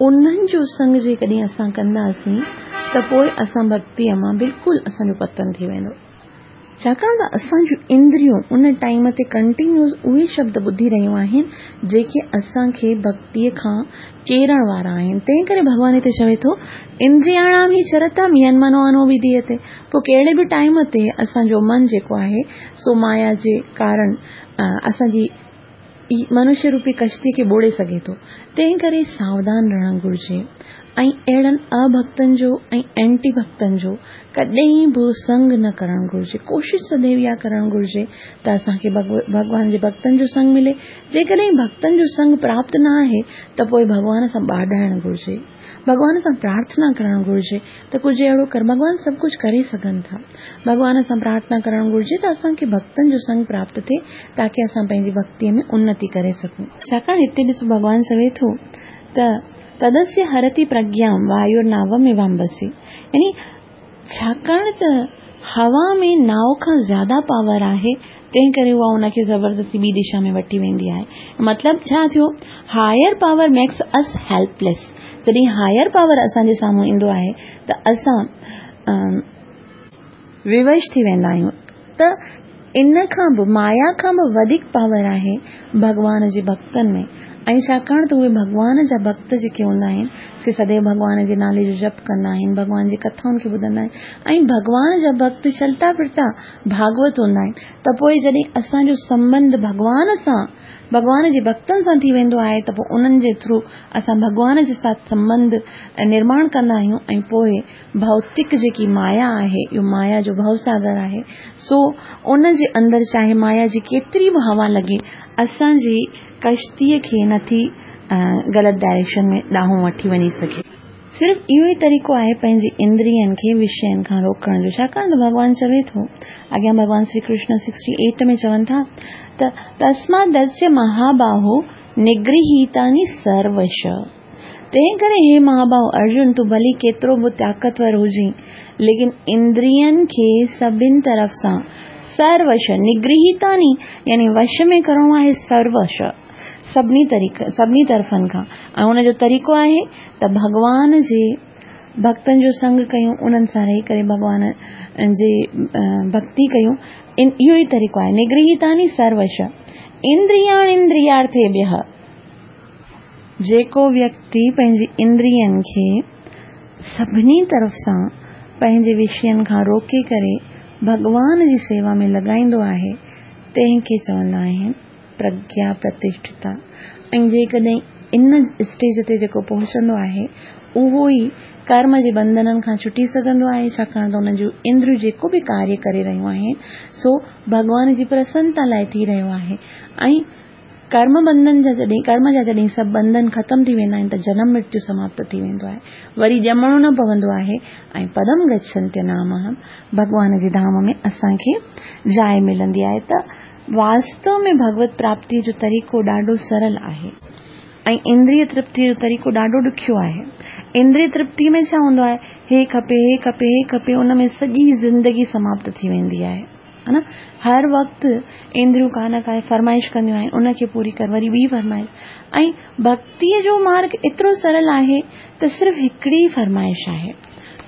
انهن جو سنگ جيڪڏهن اسان ڪنداسين ته پوءِ اسان ڀڳتيءَ مان بلڪل اسان جو پتن ٿي ويندو. ڇاڪاڻ ته اسان جون اندريون ان ٽائيم تي ڪنٽينيوس اهي شبد ٻڌي رهيون آهن جيڪي اسان کي ڀڳتيءَ کان ڪيرڻ وارا آهن. تنهن ڪري ڀڳوان هتي چوي ٿو اندرياڻام ئي چرتام ين منو انوڀڌييتي. پوءِ ڪهڙي به ٽائيم تي اسان جو من جيڪو آهي سو مايا جي ڪارڻ اسان جي منشيه روپي ڪشتي کي ٻوڙي سگهي ٿو. تنهن ڪري ساوڌان رهڻ گهرجي ۽ اهڙن اڀڳتن جو ۽ اينٽي ڀڳتن جو ڪڏهن به سنگ نه ڪرڻ گهرجي. ڪوشش سديو اها ڪرڻ گهرجي ته اسان کي ڀڳوان جي ڀڳتن جو سنگ ملي. جيڪڏهن ڀڳتن جو سنگ پراپت نه آهي ته پوءِ ڀڳوان سان ٻاڏائڻ گهرجي، ڀڳوان سان پرارٿنا ڪرڻ گهرجي ته ڪجهه اهڙو ڪر، ڀڳوان سڀ ڪجهه ڪري سگهن ٿا. ڀڳوان سان پرارٿنا ڪرڻ گهرجي ته اسان کي ڀڳتن جو سنگ پراپت ٿئي تاڪه اسان پنهنجي ڀڳتيءَ ۾ انتي ڪري سگهون. ڇاڪاڻ هتي ڏسو ڀڳوان چوي ٿو ته تدस्य هرتي پرگيان وايورناوميوامبسي، يعني ڇاڪاڻ ته هوا ۾ ناو کان زياده پاور آهي تنهن ڪري اها ان کي زبردستي ٻي دشا ۾ وٺي ويندي آهي. مطلب ڇا ٿيو؟ Higher power makes us helpless. جڏهن هائر پاور اسان جي سامهون ايندو آهي ته اسان ووش ٿي ويندا آهيون. ته ان کان به مايا کان به وڌيڪ پاور آهي ڀڳوان جي ڀڳتن ۾. ۽ ڇاڪاڻ ته اهي ڀڳوان جا ڀڳت جيڪي هوندا آهن سي سديو ڀڳوان جي نالي جو جپ ڪندا آهن، ڀڳوان جي ڪٿائن کي ٻڌندا آهن ۽ ڀڳوان جا ڀڳت چلتا ڦرتا ڀاڳوت هوندا آهن. ته پوءِ جڏهن اسان جو سنٻنڌ ڀڳوان سان، ڀڳوان جي ڀڳتن سان ٿي ويندو آهي ته پوءِ انهن جي ٿرو اسان ڀڳوان جي ساٿ سنٻنڌ نرماڻ ڪندا آهيون ۽ پوءِ ڀوتڪ جيڪي مايا آهي، اهو مايا جو ڀوساگر آهي، سو ان جي اندر چاهي مايا جي ڪيتري به هوا لڳي اسان جي ڪشتيءَ کي نٿي غلط ڊائريڪشن ۾ ڏانهن وٺي وڃي سگهي. صرف اهو ئي طريقو آهي پنهنجي اندرين کي وشين کان روڪڻ جو. ڇاڪاڻ ته ڀڳوان چوي ٿو اڳيان ڀڳوان شري ڪرشن سڪسٽي ايٽ ۾ چون ٿا ته تسمادस्य مهاباهو نگرهيتاني سروش. تنهن ڪري هي مهاباهو ارجن، تون ڀلي ڪيترو به طاقتور هجين، ليڪن اندرين کي سڀني طرف سان سروش نگرهيتاني يعني وش ۾ ڪرڻو آهي، سروش سڀني طريقي سڀني طرفن کان. ۽ ان جو طريقو آهي ته ڀڳوان جي ڀڳتن جو سنگ ڪيون، انهن سان رهي ڪري ڀڳوان جي ڀڳتي ڪيون. اهو ئي طريقو آهي نگرهيتاني سروش اندرياڻ اندريارٿيڀيءَ. جيڪو ويڪتي پنهنجي اندرين کي سڀني طرف سان پنهنجي وشين کان روڪي ڪري ڀڳوان جي سيوا ۾ لڳائيندو آهي تنهن کي چوندا آهن پرگيا پرتشٺتا. ۽ جيڪڏهن ان اسٽيج تي جيڪو پهچندو آهي اهو ئي ڪرم جي بنڌنن کان ڇٽي سگهندو آهي، ڇاڪاڻ ته ان جون اندريون جيڪو به ڪاريه ڪري رهيون آهن سو ڀڳوان جي پرسنتا لاءِ ٿي رهيو آهي. ۽ ڪرم بنڌن جا جڏهن ڪرم جا جڏهن سڀ بنڌن ختم ٿي ويندا آهن ته جنم مرتيو سماپت ٿي ويندو آهي، وري ڄمڻو نه پوندو آهي ۽ پدم گڇنتي نامهم ڀڳوان جي ڌام ۾ اسان کي جاءِ ملندي آهي. ته واستو ۾ ڀڳوت پراپتيءَ جو طريقو ڏاڍو سرل آهي ۽ اندريه ترپتيءَ جو طريقو ڏاڍو ڏکيو آهي. اندريه ترپتي ۾ ڇا هوندو آهي؟ هي کپي هي کپي هي کپي، ان ۾ سڄي زندگي سماپت ٿي ويندي آهي، ها نه؟ هر وقت اندريون ڪا نه ڪا فرمائش ڪنديون آهن، ان کي پوري ڪر، وري ٻي فرمائش. ۽ ڀڳتيءَ جو مارگ ايترو سرل آهي ته صرف هڪڙي ئي فرمائش آهي،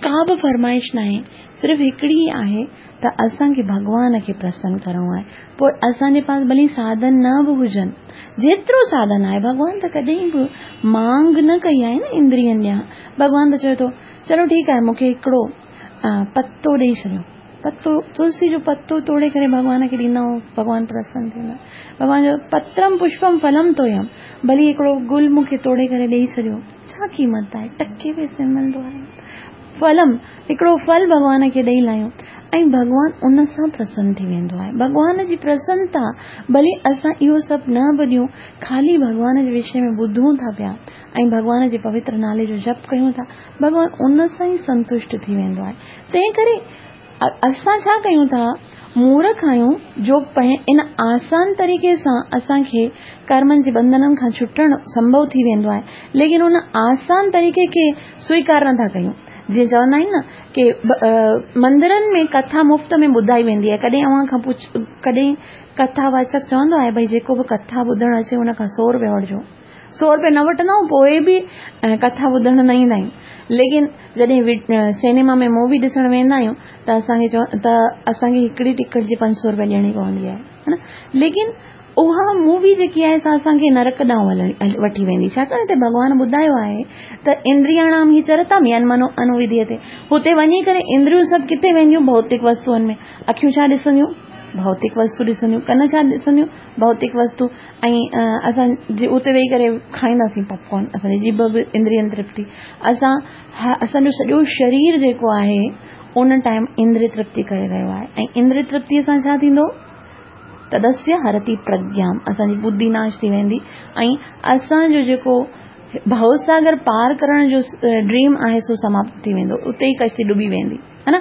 ڪا به فرمائش ناهي، صرف هڪڙي ئي آهي ته اسان کي ڀڳوان کي پرسن ڪرڻو آهي. پوءِ اسان جي پاس ڀلي ساڌن نه به هجن، جيترو ساڌن آهي، ڀڳوان ته ڪڏهن به مانگ نه ڪئي آهي نه اندرين ڏيان. ڀڳوان ته چوي ٿو چلو ٺيڪ آهي، مون کي هڪڙو پتو ڏيئي ڇڏيو، پتو تلسي جو پتو توڙي ڪري ڀڳوان کي ڏيندا آهيون، ڀڳوان پرسن ٿيندو آهي. ڀڳوان جو پترم پشپم ڦلم تويم، ڀلي هڪڙو گل مون کي توڙي ڪري ڏيئي ڇڏيو، ڇا قيمت آهي، ٽڪي پئسي ملندو آهي. ڦلم هڪڙو ڦل ڀڳوان کي ڏيئي لاهيون ۽ ڀڳوان ان سان پرسن ٿي ويندو آهي. ڀڳوان جي پرسنتا ڀلي اسان اهو سڀ نه به ڏيون، خالي ڀڳوان جي وشي ۾ ٻڌون ٿا پيا ۽ ڀڳوان جي پوتر نالي جو جپ ڪيون ٿا، ڀڳوان ان سان ئي سنتشٽ ٿي ويندو آهي. تنهن ڪري اسان ڇا ڪيون ٿا، مورک آهيون جو ان آسان طريقي سان اسان کي ڪرمن جي بنڌنن کان ڇٽڻ سنڀو ٿي ويندو آهي، ليڪن ان آسان طريقي کي سويڪار نٿا ڪيون. جيئن چوندا آهن نه ڪه مندرن ۾ ڪٿا مفت ۾ ٻڌائي ويندي آهي، ڪڏهن اوهان کان پڇ، ڪڏهن ڪٿا واچڪ چوندو آهي ڀئي جيڪو به ڪٿا ٻڌڻ اچي ان کان سؤ رپيا وٺجو، سؤ رپيا نه وٺندا آهيون پوءِ به ڪٿا ٻڌڻ نه ايندا آهيون. ليڪن جڏهن سئنيما ۾ مووي ڏسڻ ويندا آهيون ته اسان کي چو ته اسان کي هڪڙي ٽڪيٽ جي پنج سؤ رپيا ڏيڻي پوندي آهي، ها نه؟ ليڪن اها مووي جيڪي آهي سا اسان کي نرڪ ڏانهن وٺي ويندي، ڇاڪاڻ هتي ڀڳوان ٻڌايو آهي ته اندرياڻام هي چرتام ين منو انوڌيتي، هتي وڃي ڪري اندريون سڀ ڪٿي وينديون؟ ڀوتڪ وستوئن ۾. اکيون ڇا ڏسنديون؟ ڀوتڪ وستو ڏسنديون. ڪن ڇا ڏسنديون؟ ڀوتڪ وستو. ۽ اسان اتي ويهي ڪري کائينداسين پاپ ڪارن، اسان جي ڄڀ به اندرين ترپتي. اسان اسان جو سڄو شرير جيڪو آهي ان ٽائيم اندريه ترپتي ڪري رهيو آهي. ۽ اندريه ترپتيءَ سان ڇا ٿيندو؟ تدسيه هرتي پرگيام، اسان جي ٻڌي ناش ٿي ويندي ۽ اسان جو جيڪو ڀوساگر پار ڪرڻ جو ڊريم آهي سو سماپت ٿي ويندو، اتي ئي ڪشتي ڊٻي ويندي، ها نه؟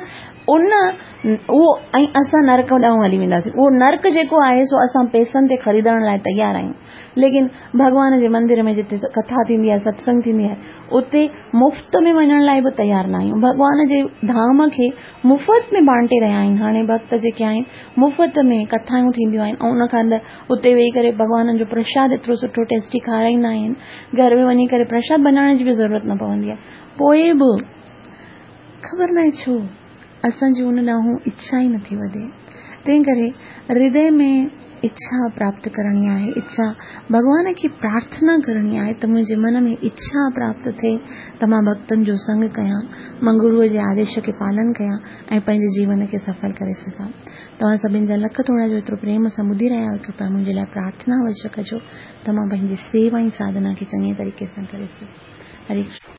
ان اهو ۽ اسان نرڪ ڏانهن هلي وينداسين. اهو نرڪ جيڪو آهي سو اسان پئسن تي خريدڻ لاءِ تيار آهيون، ليڪن ڀڳوان جي مندر ۾ جتي ڪٿا ٿيندي آهي، ستسنگ ٿيندي آهي، اتي مفت ۾ وڃڻ لاءِ به تيار نه آهيون. ڀڳوان جي ڌام کي مفت ۾ بانٽي رهيا آهن. هاڻي ڀڪت جيڪي آهن مفت ۾ ڪٿائون ٿينديون آهن ۽ ان کان اندر اتي ويهي ڪري ڀڳوانن جو پرشاد ايترو سٺو ٽيسٽي کارائيندا آهن، گهر ۾ وڃي ڪري پرشاد بنائڻ جي به ضرورت نه پوندي آهي. پوءِ به خبر ناهي ڇو اسان جي ان ڏانهن اڇا ئي نٿي وڌي. تنهن ڪري هردي ۾ اڇا پراپت ڪرڻي آهي، اڇا ڀڳوان کي پرارٿنا ڪرڻي آهي ته منهنجي من ۾ اڇا پراپت ٿئي ته مان ڀڪتن جو سنگ ڪيان، مان گروءَ جي آديش کي پالن ڪيان ۽ پنهنجي جيون کي سڦل ڪري سگهان. توهان سڀني جا لک ٿورا جو ايترو پريم سان ٻڌي رهيا آهيو. ڪرپا منهنجي لاءِ پرارٿنا اوشيه ڪجو ته مان پنهنجي سيوا ۽ ساڌنا کي چڱي طريقي سان ڪري سگهان. هري ڪرشن.